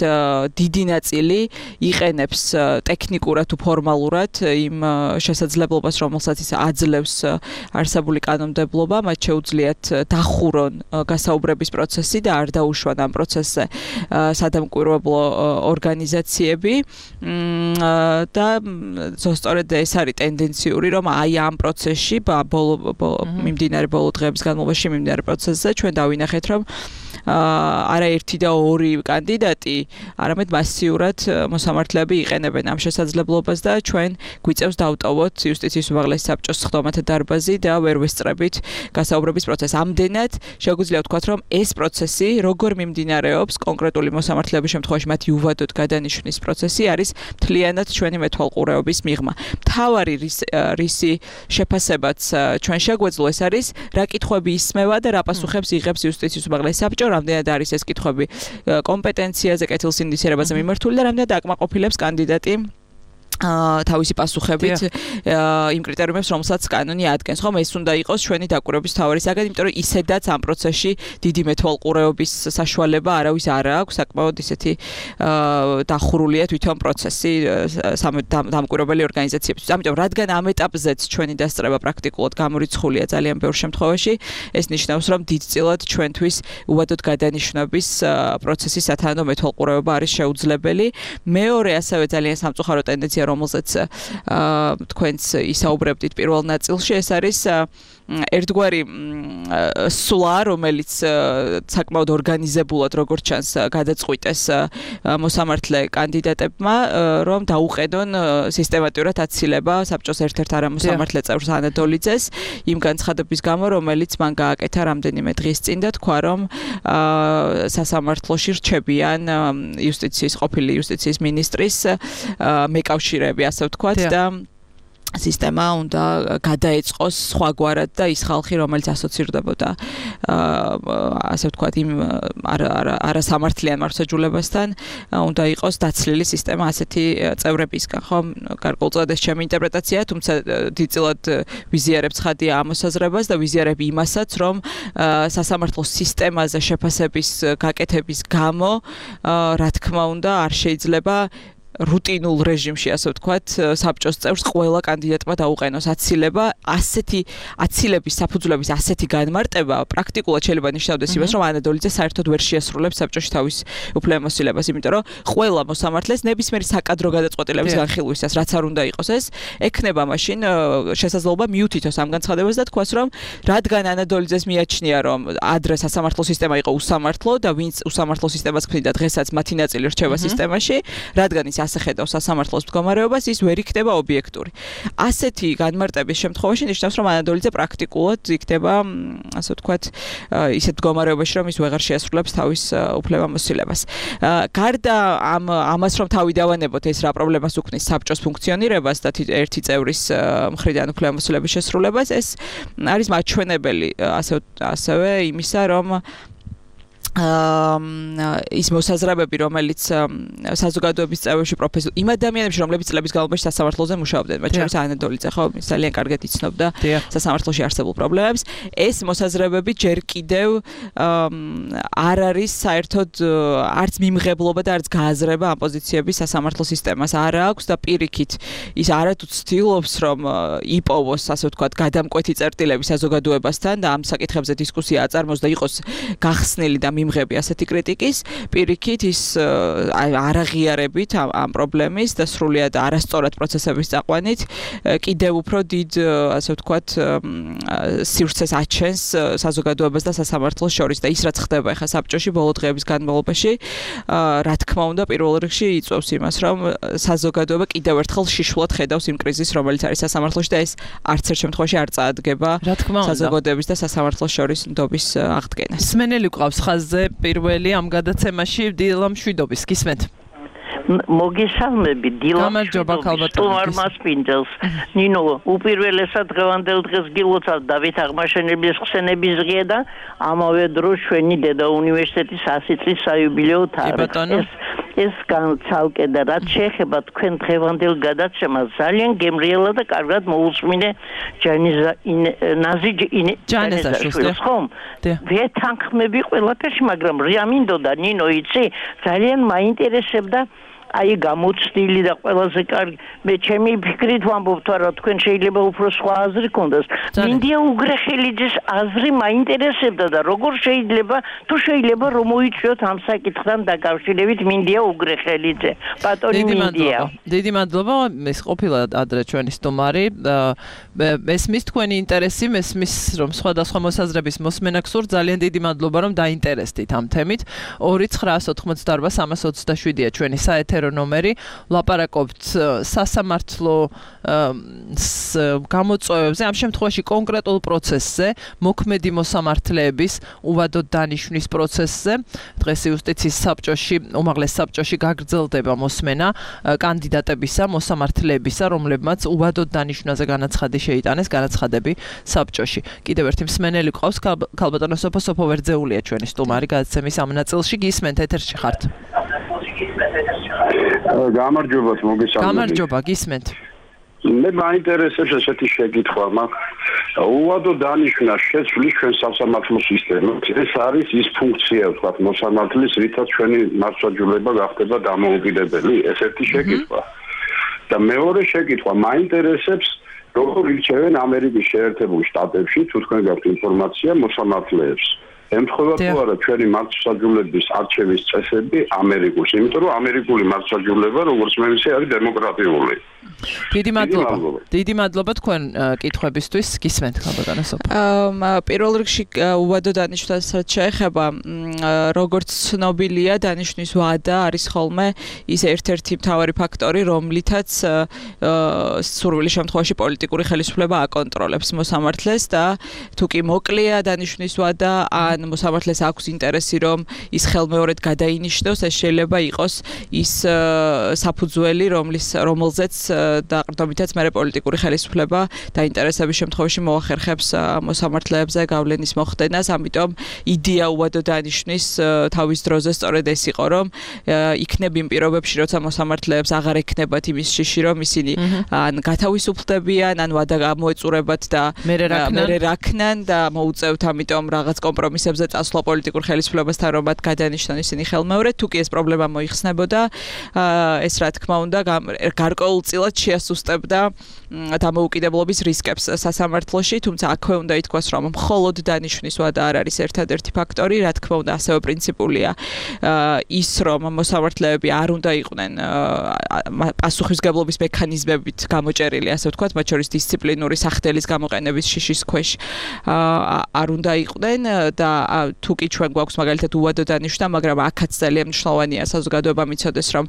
დიდი ნაწილი იყენებს ტექნიკურად თუ ფორმალურად იმ შესაძლებლობას, რომელსაც ის აძლევს არსებული კანონმდებლობა, მათ შეუძლიათ დახურონ გასაუბრების პროცესი და არ დაუშვან ამ პროცესზე სადამკვირვებლო ორგანიზაციები და სწორედ ეს არის ტენდენციური, რომ აი ამ პროცესში ბოლო მიმდინარე ბოლო დღეების განმავლობაში მიმდინარე პროცესზე ჩვენ დავინახეთ, რომ არაერთი და ორი კანდიდატი, არამედ მასიურად მოსამართლეები იყენებენ ამ შესაძლებლობას და ჩვენ გვიწევს დავტოვოთ იუსტიციის უმაღლესი საბჭოს სხდომათა დარბაზი და ვერ ვესწრებით გასაუბრების პროცესს. ამდენად შეგვიძლია ვთქვათ, რომ ეს პროცესი როგორ მიმდინარეობს კონკრეტული მოსამართლეების შემთხვევაში მათი უვადოდ გადანიშვნის პროცესი არის მთლიანად ჩვენი მეთვალყურეობის მიღმა. მთავარი რისი შეფასებაც ჩვენ შეგვეძლო ეს არის რა კითხვები ისმევა და რა პასუხებს იღებს იუსტიციის უმაღლესი საბჭო, რამდენად არის ეს კითხვები კომპეტენციაზე, კეთილსინდისიერებაზე მიმართული და რამდენად აკმაყოფილებს კანდიდატი თავისი პასუხებით იმ კრიტერიუმებს, რომელსაც კანონი ადგენს. ხომ ეს უნდა იყოს ჩვენი დაკვირვების მთავარი საგანი, იმიტომ რომ ისედაც ამ პროცესში დიდი მეთვალყურეობის საშუალება არავის არ აქვს, საკმაოდ ისეთი დახურულია თვითონ პროცესი დამკვირვებელი ორგანიზაციებისთვის. ამიტომ რადგან ამ ეტაპზეც ჩვენი დასწრება პრაქტიკულად გამორიცხულია ძალიან ბევრ შემთხვევაში, ეს ნიშნავს, რომ დიდწილად ჩვენთვის უვადოდ გადანიშვნების პროცესის სათანადო მეთვალყურეობა არის შეუძლებელი. მეორე ასევე ძალიან სამწუხარო ტენდენცია, რომელზეც თქვენც ისაუბრებდით პირველ ნაწილში, ეს არის ერთგვარი სვლა, რომელიც საკმაოდ ორგანიზებულად როგორც ჩანს გადაწყვიტეს მოსამართლე კანდიდატებმა, რომ დაუყენონ სისტემატურად აცილება საბჭოს ერთ-ერთ არამოსამართლე წევრს ანატოლიძეს იმ განცხადების გამო, რომელიც მან გააკეთა რამდენიმე დღის წინ და თქვა, რომ სასამართლოში რჩებიან იუსტიციის ყოფილი იუსტიციის მინისტრის მეკავშირეები, ასე ვთქვათ და სისტემა უნდა გადაეწყოს სხვაგვარად და ის ხალხი, რომელიც ასოცირდებოდა ასე ვთქვათ იმ არასამართლიან მართლმსაჯულებასთან, უნდა იყოს დაცლილი სისტემა ასეთი წევრებისგან. ხომ გარკვეულწილად ეს ჩემი ინტერპრეტაციაა, თუმცა დიდწილად ვიზიარებ ცხადია ამ მოსაზრებას და ვიზიარებ იმასაც, რომ სასამართლო სისტემაზე შეფასების გაკეთების გამო, რა თქმა უნდა, არ შეიძლება რუტინულ რეჟიმში, ასე ვთქვათ, საბჭოს წევრს ყველა კანდიდატმა დაუყენოს აცილება. ასეთი აცილების საფუძვლების ასეთი განმარტება პრაქტიკულად შეიძლება ნიშნავდეს იმას, რომ ანატოლიძე საერთოდ ვერ შეასრულებს საბჭოში თავის უფლებამოსილებას, იმიტომ რომ ყველა მოსამართლეს ნებისმიერი საკადრო გადაწყვეტილების განხილვისას, რაც არ უნდა იყოს ეს, ექნება მაშინ შესაძლებლობა მიუთითოს ამ განცხადებას და თქვას, რომ რადგან ანატოლიძეს მიაჩნია, რომ ადრე სასამართლო სისტემა იყო უსამართლო და ვინც უსამართლო სისტემას ქმნიდა, დღესაც მათი ნაწილი რჩება სისტემაში, რადგან ის ასე ხედავს სასამართლოს მდგომარეობას, ის ვერ იქნება ობიექტური. ასეთი განმარტების შემთხვევაში ნიშნავს, რომ ანატოლიძე პრაქტიკულად იქნება, ასე ვთქვათ, ისეთ მდგომარეობაში, რომ ის ვეღარ შეასრულებს თავის უფლებამოსილებას. გარდა ამ ამას, რომ თავი დავანებოთ ეს რა პრობლემას უქმნის საბჭოს ფუნქციონირებას და ერთი წევრის მხრიდან უფლებამოსილების შესრულებას, ეს არის მაჩვენებელი ასე ასევე იმისა, რომ ის მოსაზრებები, რომელიც საზოგადოების წევრებში პროფესიულ იმ ადამიანებში, რომლებიც წლების განმავლობაში სასამართლოზე მუშაობდნენ, მათ შორის ანა დოლიძე, ხო, ის ძალიან კარგად იცნობდა სასამართლოში არსებულ პრობლემებს. ეს მოსაზრებები ჯერ კიდევ არ არის საერთოდ არც მიმღებლობა და არც გააზრება ამ პოზიციების სასამართლო სისტემას არ აქვს და პირიქით ის არათუ ცდილობს, რომ იპოვოს, ასე ვთქვათ, გადამკვეთი წერტილები საზოგადოებასთან და ამ საკითხებზე დისკუსია აწარმოოს და იყოს გახსნილი და მიმღები ასეთი კრიტიკის, პირიქით ის არაღიარებით ამ პრობლემის და სრულიად არასწორად პროცესების წაყვანით კიდევ უფრო დიდ, ასე ვთქვათ, სივრცეს აჩენს საზოგადოებას და სასამართლოს შორის და ის რაც ხდება ახლა საბჭოში ბოლო დღეების განმავლობაში, რა თქმა უნდა, პირველ რიგში იწვევს იმას, რომ საზოგადოება კიდევ ერთხელ შიშულად ხედავს იმ კრიზისს, რომელიც არის სასამართლოში და ეს არც ერთ შემთხვევაში არ წაადგება საზოგადოების და სასამართლოს შორის ნდობის აღდგენას. სმენელი ყავს ხაზზე პირველი ამ გადაცემაში დილა მშვიდობის გისმენთ. მოგესალმები დილა მშვიდობის სტუმარ მასპინძელს. ნინო, უპირველესად დღევანდელ დღეს გილოცავ დავით აღმაშენებლის ხსენების დღე და ამავე დროს ჩვენი დედა უნივერსიტეტის ასი წლის საიუბილეო თარიღი. ეს განცალკე და რაც შეეხება თქვენ დღევანდელ გადაცემას ძალიან გემრიელა და კარგად მოусმინე ჯანიზა ნაზი ჯანიზაშვილს ხომ? ვეთანხმები ყველაფერში, მაგრამ რა მინდოდა ნინო იცი, ძალიან მაინტერესებდა აი გამოცდილი და ყველაზე კარგი მე ჩემი ფიქრით ვამბობ თორე თქვენ შეიძლება უფრო სხვა აზრი გქონდეს. მინდია უგრეხელიძის აზრი მაინტერესებდა და როგორ შეიძლება თუ შეიძლება რომ მოიწვიოთ ამ საკითხთან დაკავშირებით მინდია უგრეხელიძე. ბატონი მინდია. დიდი მადლობა, ეს ყოფილა ადრე ჩვენი სტუმარი. მესმის თქვენი ინტერესი, მესმის რომ სხვადასხვა მოსაზრების მოსმენა გსურთ, ძალიან დიდი მადლობა რომ დაინტერესდით ამ თემით. ორი ცხრაას ოთხმოცდაორბა სამას ოცდაშვიდია ჩვენი საეთერო ნომერი. ლაპარაკობთ სასამართლო გამოწვევებზე, ამ შემთხვევაში კონკრეტულ პროცესზე, მოქმედი მოსამართლეების უვადოდ დანიშვნის პროცესზე. დღეს იუსტიციის საბჭოში, უმაღლეს საბჭოში გაგრძელდება მოსმენა კანდიდატებისა, მოსამართლეებისა, რომლებმაც უვადოდ დანიშვნაზე განაცხადი შეიტანეს, განაცხადები საბჭოში. კიდევ ერთი მსმენელი ყავს, ქალბატონო სოფო სოფო ვერძეულია ჩვენი სტუმარი გადაცემის ამ ნაწილში. გისმენთ, ეთერში ხართ. გამარჯობა, მოგესალმებით. გამარჯობა, გისმენთ. მე მაინტერესებს ესეთი შეკითხვა მაქვს. უვადო დანიშვნა შეცვლის ჩვენ სასამართლო სისტემით. ეს არის ის ფუნქცია, ვთქვათ, მოსამართლის, რითაც ჩვენი მასშტაბება გახდება დამოუკიდებელი. ეს ერთი შეკითხვა. და მეორე შეკითხვა მაინტერესებს, როგორ ირჩევენ ამერიკის შეერთებულ შტატებში, თუ თქვენ გაქვთ ინფორმაცია, მოსამართლეებს. ემთხვევა თუ არა ჩვენი მართლმსაჯულების არჩევის წესები ამერიკულს, იმიტომ რომ ამერიკული მართლმსაჯულება, როგორც მე ვიცი, არის დემოკრატიული. დიდი მადლობა. დიდი მადლობა თქვენ კითხვებისთვის. გისმენთ, ქალბატონო სოფო. პირველ რიგში უვადო დანიშვნასაც შეეხება, როგორც ცნობილია, დანიშვნის ვადა არის ხოლმე ის ერთ-ერთი მთავარი ფაქტორი, რომლითაც სურვილი შემთხვევაში პოლიტიკური ხელისუფლება აკონტროლებს მოსამართლეს და თუ კი მოკლეა დანიშვნის ვადა, ან მოსამართლეს აქვს ინტერესი, რომ ის ხელმეორედ გადაინიშნოს, ეს შეიძლება იყოს ის საფუძველი, რომლის რომელზეც დაყრდნობითაც მე პოლიტიკური ხელისუფლება დაინტერესების შემთხვევაში მოახერხებს მოსამართლეებზე გავლენის მოხდენას, ამიტომ იდეა უვადო დანიშვნის თავის დროზე სწორედ ეს იყო, რომ იქნებ იმ პირობებში, როცა მოსამართლეებს აღარ ექნებათ იმის შიში, რომ ისინი ან გათავისუფლდებიან, ან ვადა გამოეწურებათ და მერე რაქნან და მოუწევთ ამიტომ რაღაც კომპრომისებზე წასვლა პოლიტიკურ ხელისუფლებასთან, რომ მათ გადანიშნონ ისინი ხელმეორედ, თუ კი ეს პრობლემა მოიხსნებოდა, ეს რა თქმა უნდა გარკვეულწილად შეასუსტებდა დამოუკიდებლობის რისკებს სასამართლოში, თუმცა აქვე უნდა ითქვას, რომ მხოლოდ დანიშვნის ვადა არ არის ერთადერთი ფაქტორი, რა თქმა უნდა ასევე პრინციპულია ის, რომ მოსამართლეები არ უნდა იყვნენ პასუხისმგებლობის მექანიზმებით გამოჭერილი, ასე ვთქვათ, მათ შორის დისციპლინური სახდელის გამოყენების შიშის ქვეშ არ უნდა იყვნენ და თუ კი ჩვენ გვაქვს მაგალითად უვადო დანიშვნა, მაგრამ აქაც ძალიან მნიშვნელოვანია საზოგადოება მიცოდეს, რომ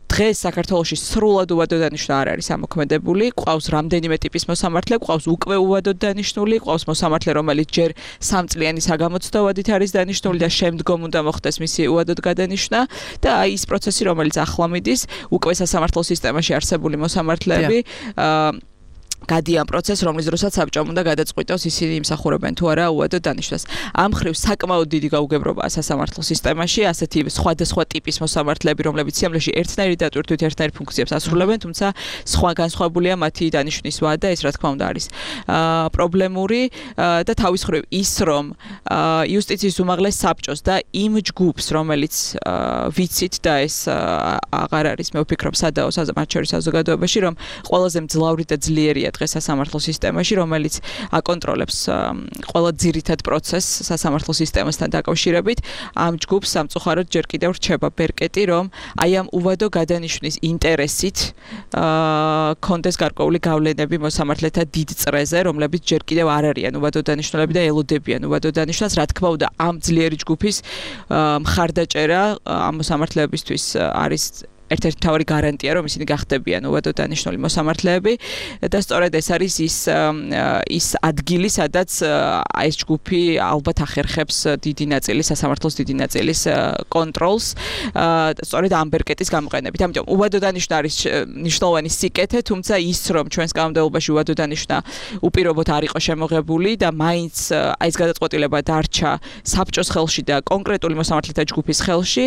დღეს საქართველოში სრულად უვადო დანიშვნა არ არის ამოქმედებული, ყავს რამდენიმე ტიპის მოსამართლე, ყავს უკვე უვადოდ დანიშნული, ყავს მოსამართლე, რომელიც ჯერ სამწლიანი საგამოცდო ვადით არის დანიშნული და შემდგომ უნდა მოხდეს მისი უვადოდ გადანიშნა და აი ის პროცესი, რომელიც ახლა მიდის, უკვე სასამართლო სისტემაში არსებული მოსამართლეები გადიან პროცესს, რომლის დროსაც საბჭომ უნდა გადაწყვიტოს ისინი იმსახურებენ თუ არა უადო დანიშვნას. ამ ხრივ საკმაოდ დიდი გაუგებრობაა სასამართლო სისტემაში, ასეთი სხვადასხვა ტიპის მოსამართლეები, რომლებიც სიამოვნებაში ერთნაირი დატვირთვით ერთნაირ ფუნქციებს ასრულებენ, თუმცა სხვა განსხვავებულია მათი დანიშვნის ვადა, ეს რა თქმა უნდა არის პრობლემური და თავის ხრივ ის, რომ იუსტიციის უმაღლეს საბჭოს და იმ ჯგუფს, რომელიც ვიცით და ეს აღარ არის, მე ვფიქრობ, სადაო მათ შორის საზოგადოებაში, რომ ყველაზე მძლავრი და ძლიერია დღეს სასამართლო სისტემაში, რომელიც აკონტროლებს ყველა ძირითად პროცესს სასამართლო სისტემასთან დაკავშირებით, ამ ჯგუფს სამწუხაროდ ჯერ კიდევ რჩება ბერკეტი, რომ აი ამ უვადო გადანიშვნის ინტერესით კონდეს გარკვეული გავლენები მოსამართლეთა დიდ წრეზე, რომლებიც ჯერ კიდევ არ არიან უვადო დანიშნულები და ელოდებიან უვადო დანიშნულს, რა თქმა უნდა, ამ ძლიერი ჯგუფის მხარდაჭერა ამ მოსამართლეებისთვის არის ერთ-ერთი მთავარი გარანტია, რომ ისინი გახდებიან უვადო დანიშნული მოსამართლეები და სწორედ ეს არის ის ის ადგილი, სადაც ეს ჯგუფი ალბათ ახერხებს დიდი ნაწილი სასამართლოს დიდი ნაწილის კონტროლს, სწორედ ამ ბერკეტის გამოყენებით. ამიტომ უვადო დანიშნა არის მნიშვნელოვანი სიკეთე, თუმცა ის, რომ ჩვენს კანონმდებლობაში უვადო დანიშნა უპირობოდ არ იყო შემოღებული და მაინც ეს გადაწყვეტილება დარჩა საბჭოს ხელში და კონკრეტული მოსამართლეთა ჯგუფის ხელში,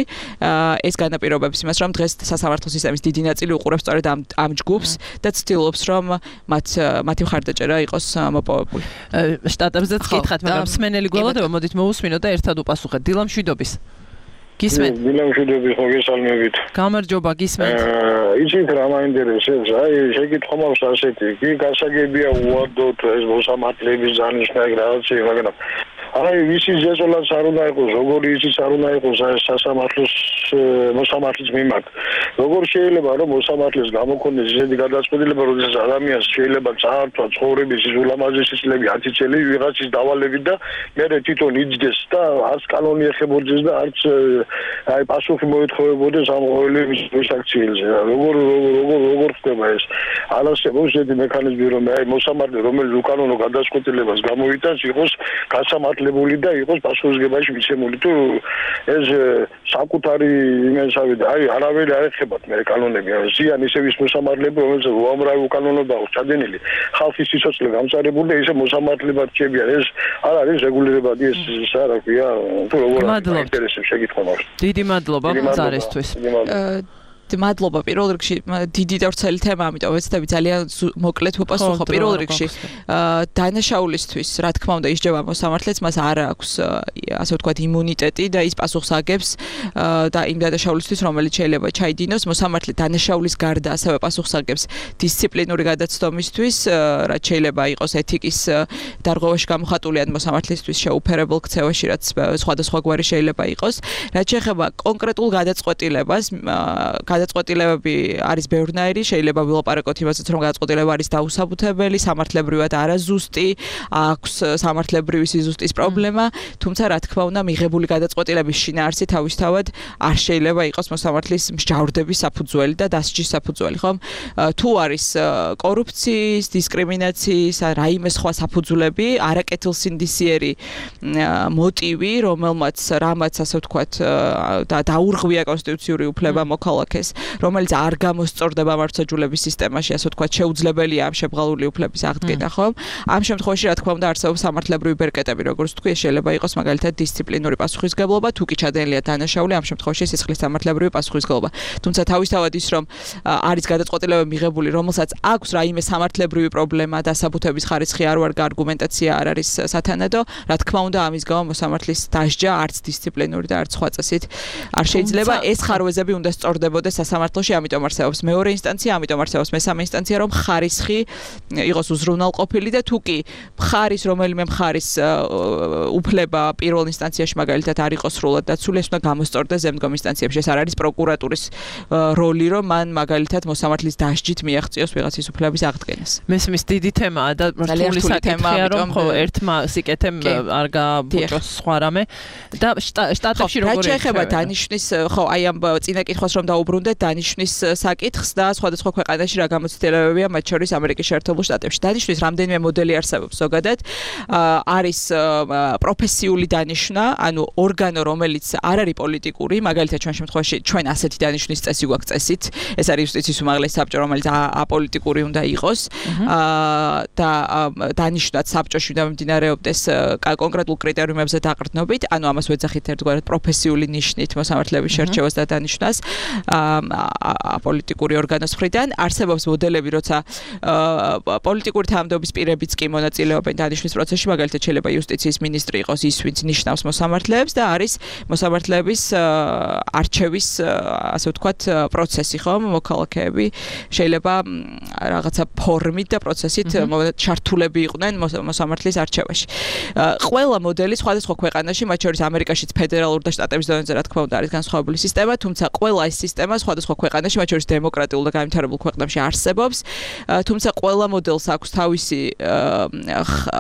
ეს განაპირობებს იმას, რომ დღეს სასამართლო სისტემის დიდი ნაწილი უყურებს სწორედ ამ ამ ჯგუფს და ცდილობს, რომ მათ მათი მხარდაჭერა იყოს მოპოვებული. შტატებზეც გითხათ, მაგრამ მსმენელი გველოდება, მოდით მოусმინოთ და ერთად უპასუხეთ. დილა მშვიდობის. გისმენთ? დილა მშვიდობის, ხო გესალმებით. გამარჯობა, გისმენთ. იცით რა მაინტერესებს, აი შეკითხვა მაქვს ასეთი, კი გასაგებია უვადოთ ეს მოსამართლეების დანიშნა რაღაცა, მაგრამ აი ვისი ზეზოლაც არ უნდა იყოს, როგორი ისიც არ უნდა იყოს სასამართლოს მოსამართლის მიმართ. როგორ შეიძლება რომ მოსამართლეს გამოგონდეს ისეთი გადაწყვეტილება, როდესაც ადამიანს შეიძლება წაართვა ცხოვრების ის ულამაზესი წლები ათი წელი ვიღაცის დავალებით და მერე თვითონ იძდეს და არც კანონი ეხებოდეს და არც აი პასუხი მოეთხოვებოდეს ამ ყოველი მისაქციელზე. როგორ როგორ როგორ ხდება ეს? არასდროს ესეთი მექანიზმი რომ აი მოსამართლე რომელიც უკანონო გადაწყვეტილებას გამოიტანს იყოს გასამართლებული და იყოს პასუხისგებაში მიცემული თუ ეს საკუთარი იმენსავი და აი არავერი არ ეხებათ მე კანონები ზიან ისე ვის მოსამართლეები რომელსაც უამრავი უკანონობა აქვს ჩადენილი ხალხის სიცოცხლე გამწარებული და ისე მოსამართლებად რჩებიან ეს არ არის რეგულირებადი ეს რა ქვია თუ როგორ ინტერესებს შეკითხვა მაქვს დიდი მადლობა ზარესთვის მადლობა პირველ რიგში დიდი და ვრცელი თემა, ამიტომ ვეცდები ძალიან მოკლედ ვუპასუხო. პირველ რიგში დანაშაულისთვის, რა თქმა უნდა, ისჯება მოსამართლეც, მას არ აქვს ასე ვთქვათ იმუნიტეტი და ის პასუხს აგებს და იმ დანაშაულისთვის, რომელიც შეიძლება ჩაიდინოს, მოსამართლე დანაშაულის გარდა ასევე პასუხს აგებს დისციპლინური გადაცდომისთვის, რაც შეიძლება იყოს ეთიკის დარღვევაში გამოხატული ან მოსამართლისთვის შეუფერებელ ქცევაში, რაც სხვადასხვაგვარი შეიძლება იყოს. რაც შეეხება კონკრეტულ გადაწყვეტილებას, გადაწყვეტილებები არის ბევრნაირი, შეიძლება ვილაპარაკოთ იმასაც, რომ გადაწყვეტილება არის დაუსაბუთებელი, სამართლებრივად არაზუსტი, აქვს სამართლებრივი სიზუსტის პრობლემა, თუმცა რა თქმა უნდა, მიღებული გადაწყვეტილების შინაარსი თავისთავად არ შეიძლება იყოს მოსამართლის მსჯავრდების საფუძველი და დასჯის საფუძველი, ხომ? თუ არის კორუფციის, დისკრიმინაციის, რაიმე სხვა საფუძვლები, არაკეთილსინდისიერი მოტივი, რომელმაც რამაც ასე ვთქვათ და დაურღვია კონსტიტუციური უფლება მოქალაქეს, რომელიც არ გამოსწორდება მართლმსაჯულების სისტემაში, ასე ვთქვათ, შეუძლებელია ამ შებრალული უფლების აღდგენა, ხომ? ამ შემთხვევაში, რა თქმა უნდა, არსებობს სამართლებრივი ბერკეტები, როგორც თქვი, შეიძლება იყოს მაგალითად დისციპლინური პასუხისმგებლობა, თუ კი ჩადენილია დანაშაული, ამ შემთხვევაში სისხლის სამართლებრივი პასუხისმგებლობა. თუმცა თავისთავად ის, რომ არის გადაწყვეტილება მიღებული, რომელსაც აქვს რაიმე სამართლებრივი პრობლემა, დასაბუთების ხარისხი არ ვარ, არგუმენტაცია არ არის სათანადო, რა თქმა უნდა, ამის გამო მოსამართლის დასჯა არც დისციპლინური და არც სხვა წესით არ შეიძლება. ეს ხარვეზები უნდა სწორდებოდეს სასამართლოში, ამიტომ არსებობს მეორე ინსტანცია, ამიტომ არსებობს მესამე ინსტანცია, რომ ხარისხი იყოს უზრუნველყოფილი და თუ კი მხარის რომელიმე მხარის უფლება პირველ ინსტანციაში მაგალითად არ იყოს სრულად დაცული, ეს უნდა გამოსწორდეს ზემდგომ ინსტანციებში. ეს არ არის პროკურატურის როლი, რომ მან მაგალითად მოსამართლის დასჯით მიაღწიოს ვიღაცის უფლების აღდგენას. მესმის დიდი თემაა და რთული საკითხია, რომ ხო ერთმა სიკეთემ არ გააბუჭოს სხვა რამე და შტატებში როგორია? რაც შეეხება დანიშნის, ხო, აი ამ წინა კითხვას რომ დაუბრუნდე, უნდა დანიშნვის საკითხს და სხვადასხვა ქვეყანაში რა გამოცდილებებია, მათ შორის ამერიკის შეერთებულ შტატებში. დანიშნვის რამდენიმე მოდელი არსებობს ზოგადად. არის პროფესიული დანიშნა, ანუ ორგანო, რომელიც არ არის პოლიტიკური, მაგალითად ჩვენ შემთხვევაში ჩვენ ასეთი დანიშნვის წესი გვაქვს წესით. ეს არის იუსტიციის უმაღლესი საბჭო, რომელიც აპოლიტიკური უნდა იყოს და დანიშნვაც საბჭოში უნდა მიმდინარეობდეს კონკრეტულ კრიტერიუმებზე დაყრდნობით, ანუ ამას ვეძახით ერთგვარად პროფესიული ნიშნით მოსამართლეების შერჩევას და დანიშნვას აპოლიტიკური ორგანოს მხრიდან. არსებობს მოდელები, როცა პოლიტიკური თანამდებობის პირებიც კი მონაწილეობენ დანიშნვის პროცესში, მაგალითად შეიძლება იუსტიციის მინისტრი იყოს ის, ვინც ნიშნავს მოსამართლეებს და არის მოსამართლეების არჩევის, ასე ვთქვათ, პროცესი, ხომ, მოქალაქეები შეიძლება რაღაცა ფორმით და პროცესით ჩართულები იყვნენ მოსამართლის არჩევაში. ყველა მოდელი სხვადასხვა ქვეყანაში, მათ შორის ამერიკაშიც ფედერალურ და შტატების დონეზე რა თქმა უნდა არის განსხვავებული სისტემა, თუმცა ყველა ეს სისტემა სხვადასხვა ქვეყანაში, მათ შორის დემოკრატიულ და განვითარებულ ქვეყნებში არსებობს. თუმცა ყველა მოდელს აქვს თავისი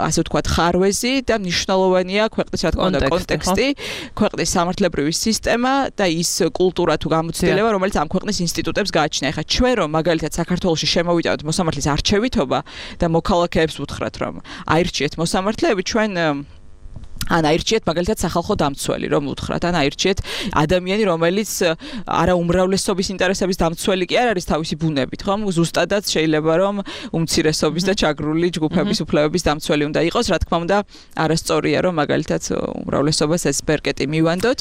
ასე ვთქვათ ხარვეზი და მნიშვნელოვანია ქვეყნის რა თქმა უნდა კონტექსტი, ქვეყნის სამართლებრივი სისტემა და ის კულტურა თუ გამოცდილება, რომელიც ამ ქვეყნის ინსტიტუტებს გააჩნია. ეხლა ჩვენ რომ მაგალითად საქართველოში შემოვიტანოთ მოსამართლის არჩევითობა და მოქალაქეებს ვუთხრათ რომ აირჩიეთ მოსამართლეები, ჩვენ ან აირჩიეთ მაგალითად სახალხო დამცველი, რომ უთხრათ, ან აირჩიეთ ადამიანი, რომელიც არა უმრავლესობის ინტერესების დამცველი კი არ არის თავისი ბუნებით, ხომ? ზუსტადაც შეიძლება რომ უმცირესობის და ჩაგრული ჯგუფების უფლებების დამცველი უნდა იყოს, რა თქმა უნდა, არასწორია რომ მაგალითად უმრავლესობას ეს ბერკეტი მივანდოთ.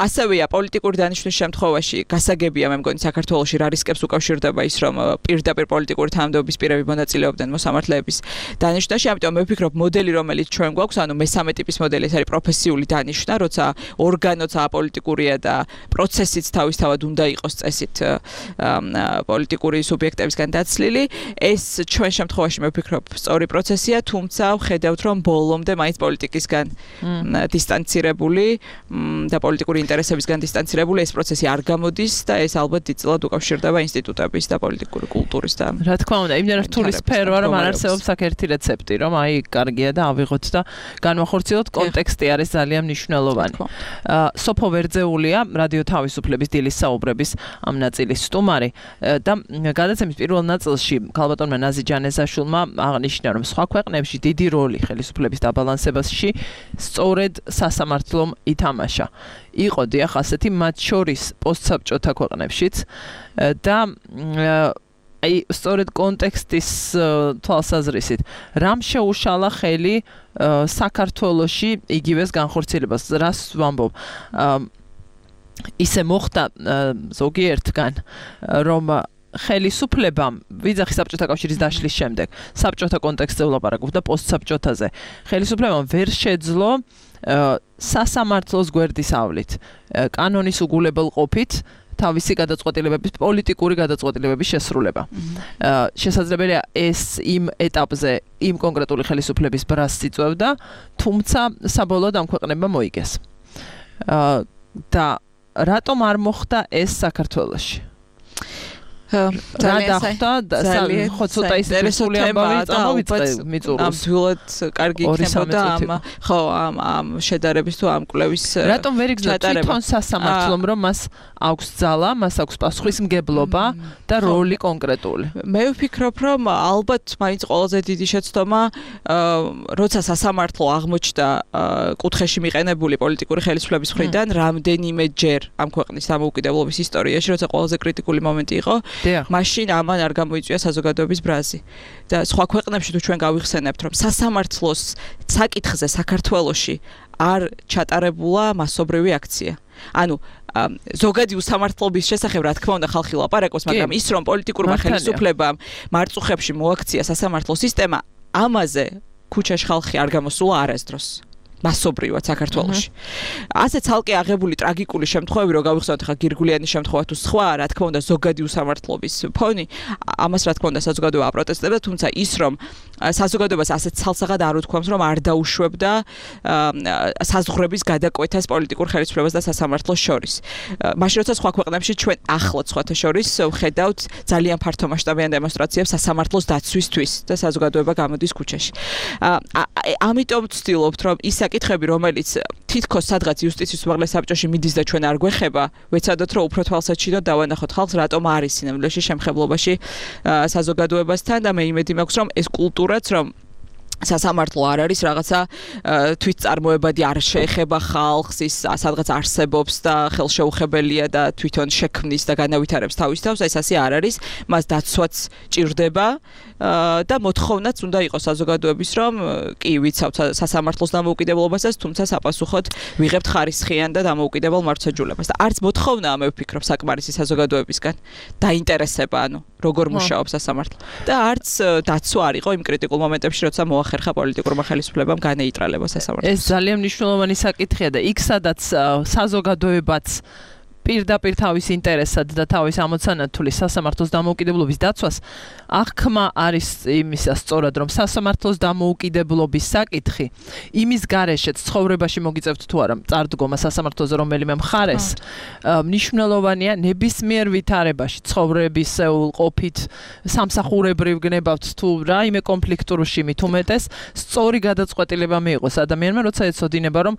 ასევეა პოლიტიკური დანიშნვის შემთხვევაში გასაგებია, მე მგონი საქართველოში რა რისკებს უკავშირდება ის, რომ პირდაპირ პოლიტიკური თანამდებობის პირები მონაწილეობდნენ მოსამართლეების დანიშნვაში, ამიტომ მე ვფიქრობ, მოდელი რომელიც ჩვენ გვაქვს, ანუ მესამე ტიპის მოდელი ეს არის პროფესიული დანიშნა, როცა ორგანოც აპოლიტიკურია და პროცესიც თავისთავად უნდა იყოს წესით პოლიტიკური სუბიექტებისგან დაცლილი. ეს ჩვენ შემთხვევაში მე ვფიქრობ სწორი პროცესია, თუმცა ვხედავთ რომ ბოლომდე მაინც პოლიტიკისგან დისტანცირებული და პოლიტიკური ინტერესებისგან დისტანცირებული ეს პროცესი არ გამოდის და ეს ალბათ დიდწილად უკავშირდება ინსტიტუტების და პოლიტიკური კულტურის და რა თქმა უნდა, იმდენად რთული სფეროა, რომ არ არსებობს აქ ერთი რეცეპტი, რომ აი კარგია და ავიღოთ და განვახორციელოთ. კონტექსტი არის ძალიან მნიშვნელოვანი. სოფო ვერძეულია, რადიო თავისუფლების დილის საუბრების ამ ნაწილის სტუმარი და გადაცემის პირველ ნაწილში ქალბატონმა ნაზი ჯანეზაშვილმა აღნიშნა, რომ სხვა ქვეყნებში დიდი როლი ხელისუფლების დაბალანსებაში სწორედ სასამართლომ ითამაშა. იყო დიახ ასეთი მათ შორის პოსტსაბჭოთა ქვეყნებშიც და აი სწორედ კონტექსტის თვალსაზრისით რამ შეუშალა ხელი საქართველოში იგივეს განხორციელებას, რას ვამბობ, ისე მოხდა ზოგიერთგან, რომ ხელისუფლებამ ვიძახი საბჭოთა კავშირის დაშლის შემდეგ საბჭოთა კონტექსტზე ვლაპარაკობ და პოსტსაბჭოთაზე ხელისუფლებამ ვერ შეძლო სასამართლოს გვერდის ავლით კანონის უგულებელყოფით თავისი გადაწყვეტილებების, პოლიტიკური გადაწყვეტილებების შესრულება. შესაძლებელია ეს იმ ეტაპზე იმ კონკრეტული ხელისუფლების ბრასს იწვევდა, თუმცა საბოლოოდ ამ ქვეყნებმა მოიგეს. და რატომ არ მოხდა ეს საქართველოში? რა დახვდა ხო ცოტა ისეთი ამბავი წამოვიწყე მიწურს. ნამდვილად კარგი იქნებოდა ამ ხო ამ ამ შედარების თუ ამ კვლევის რატომ ვერ იგრძნო თვითონ სასამართლომ რომ მას აქვს ძალა, მას აქვს პასუხისმგებლობა და როლი კონკრეტული. მე ვფიქრობ რომ ალბათ მაინც ყველაზე დიდი შეცდომა როცა სასამართლო აღმოჩნდა კუთხეში მიყენებული პოლიტიკური ხელისუფლების მხრიდან რამდენიმე ჯერ ამ ქვეყნის დამოუკიდებლობის ისტორიაში, როცა ყველაზე კრიტიკული მომენტი იყო მაშინ ამან არ გამოიწვია საზოგადოების ბრაზი. და სხვა ქვეყნებში თუ ჩვენ გავიხსენებთ, რომ სასამართლოს საკითხზე საქართველოში არ ჩატარებულა მასობრივი აქცია. ანუ ზოგადი უსამართლობის შესახებ რა თქმა უნდა ხალხი ლაპარაკობს, მაგრამ ის რომ პოლიტიკურმა ხელისუფლებამ მარწუხებში მოაქცია სასამართლო სისტემა, ამაზე ქუჩაში ხალხი არ გამოსულა არასდროს. მასობრივად საქართველოში. ასე ცალკე აღებული ტრაგიკული შემთხვევები, რომ გავიხსენოთ ხა გირგულიანის შემთხვევა თუ სხვა, რა თქმა უნდა ზოგადი უსამართლობის ფონი, ამას რა თქმა უნდა საზოგადოება აპროტესტებდა, თუმცა ის რომ საზოგადოებას ასეთ ცალსაღად არ უთქვამს, რომ არ დაუშვებდა საზღვრების გადაკვეთას პოლიტიკურ ხელისუფლებას და სასამართლოს შორის. მაშინ როცა სხვა ქვეყნებში ჩვენ ახლად სხვათა შორის ვხედავთ ძალიან ფართომასშტაბიან დემონსტრაციებს სასამართლოს დაცვისთვის და საზოგადოება გამოდის ქუჩაში. ამიტომ ვცდილობთ, რომ ის საკითხები, რომელიც თითქოს სადღაც იუსტიციის უმაღლეს საბჭოში მიდის და ჩვენ არ გვეხება, ვეცადოთ რომ უფრო თვალსაჩინო დავანახოთ ხალხს რატომ არის სინამდვილეში შემხებლობაში საზოგადოებასთან და მე იმედი მაქვს რომ ეს კულტურაც რომ სასამართლო არ არის რაღაცა თვითწარმოებადი არ შეეხება ხალხს ის სადღაც არსებობს და ხელშეუხებელია და თვითონ შექმნის და განავითარებს თავის თავს ეს ასე არ არის მას დაცვაც ჭირდება და მოთხოვნაც უნდა იყოს საზოგადოების რომ კი ვიცავთ სასამართლოს დამოუკიდებლობასაც თუმცა საპასუხოდ ვიღებთ ხარისხიან და დამოუკიდებელ მართლმსაჯულებას და არც მოთხოვნაა მე ვფიქრობ საკმარისი საზოგადოებისგან დაინტერესება ანუ როგორ მუშაობს სასამართლო და არც დაცვა არ იყო იმ კრიტიკულ მომენტებში როცა მოახერხა პოლიტიკურმა ხელისუფლებამ განეიტრალება სასამართლოს ეს ძალიან მნიშვნელოვანი საკითხია და იქ სადაც საზოგადოებაც პირდაპირ თავის ინტერესად და თავის ამოცანათულის სასამართლოს დამოუკიდებლობის დაცვას აღქმა არის იმისა სწორად რომ სასამართლოს დამოუკიდებლობის საკითხი იმის გარეშეც ცხოვრებაში მოგიწევთ თუ არა წარდგომა სასამართლოზე რომელიმე მხარეს მნიშვნელოვანია ნებისმიერ ვითარებაში ცხოვრებისეულ ყოფით სამსახურებრივ გნებავთ თუ რაიმე კონფლიქტურში მით უმეტეს სწორი გადაწყვეტილება მიიღოს ადამიანმა როცა ეცოდინება რომ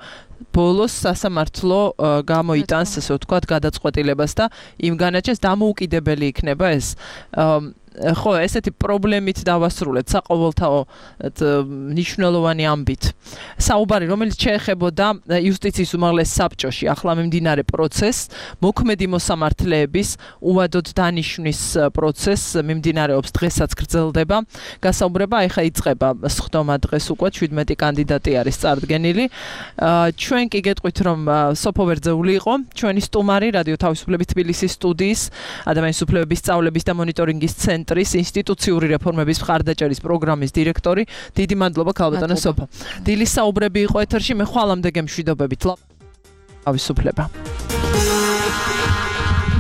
ბოლოს სასამართლო გამოიტანს ესე ვთქვათ გადაწყვეტილებას და იმ განაჩენს დამოუკიდებელი იქნება ეს ხო ესეთი პრობლემით დავასრულეთ საყოველთაო მნიშვნელოვანი ამბით საუბარი რომელიც შეეხებოდა იუსტიციის უმაღლეს საბჭოში ახლა მიმდინარე პროცესს მოქმედი მოსამართლეების უვადოდ დანიშვნის პროცესს მიმდინარეობს დღესაც გრძელდება გასაუბრება ეხა იწყება სხდომა დღეს უკვე შვიდმეტი კანდიდატი არის წარდგენილი ჩვენ კი გეტყვით რომ სოფო ვერძეული იყო ჩვენი სტუმარი რადიო თავისუფლების თბილისის სტუდიის ადამიანის უფლებების სწავლების და მონიტორინგის ცენტრის ინსტიტუციური რეფორმების მხარდაჭერის პროგრამის დირექტორი. დიდი მადლობა ქალბატონო სოფო. დილის საუბრები იყო ეთერში, მე ხვალამდე გემშვიდობებით. თავისუფლება.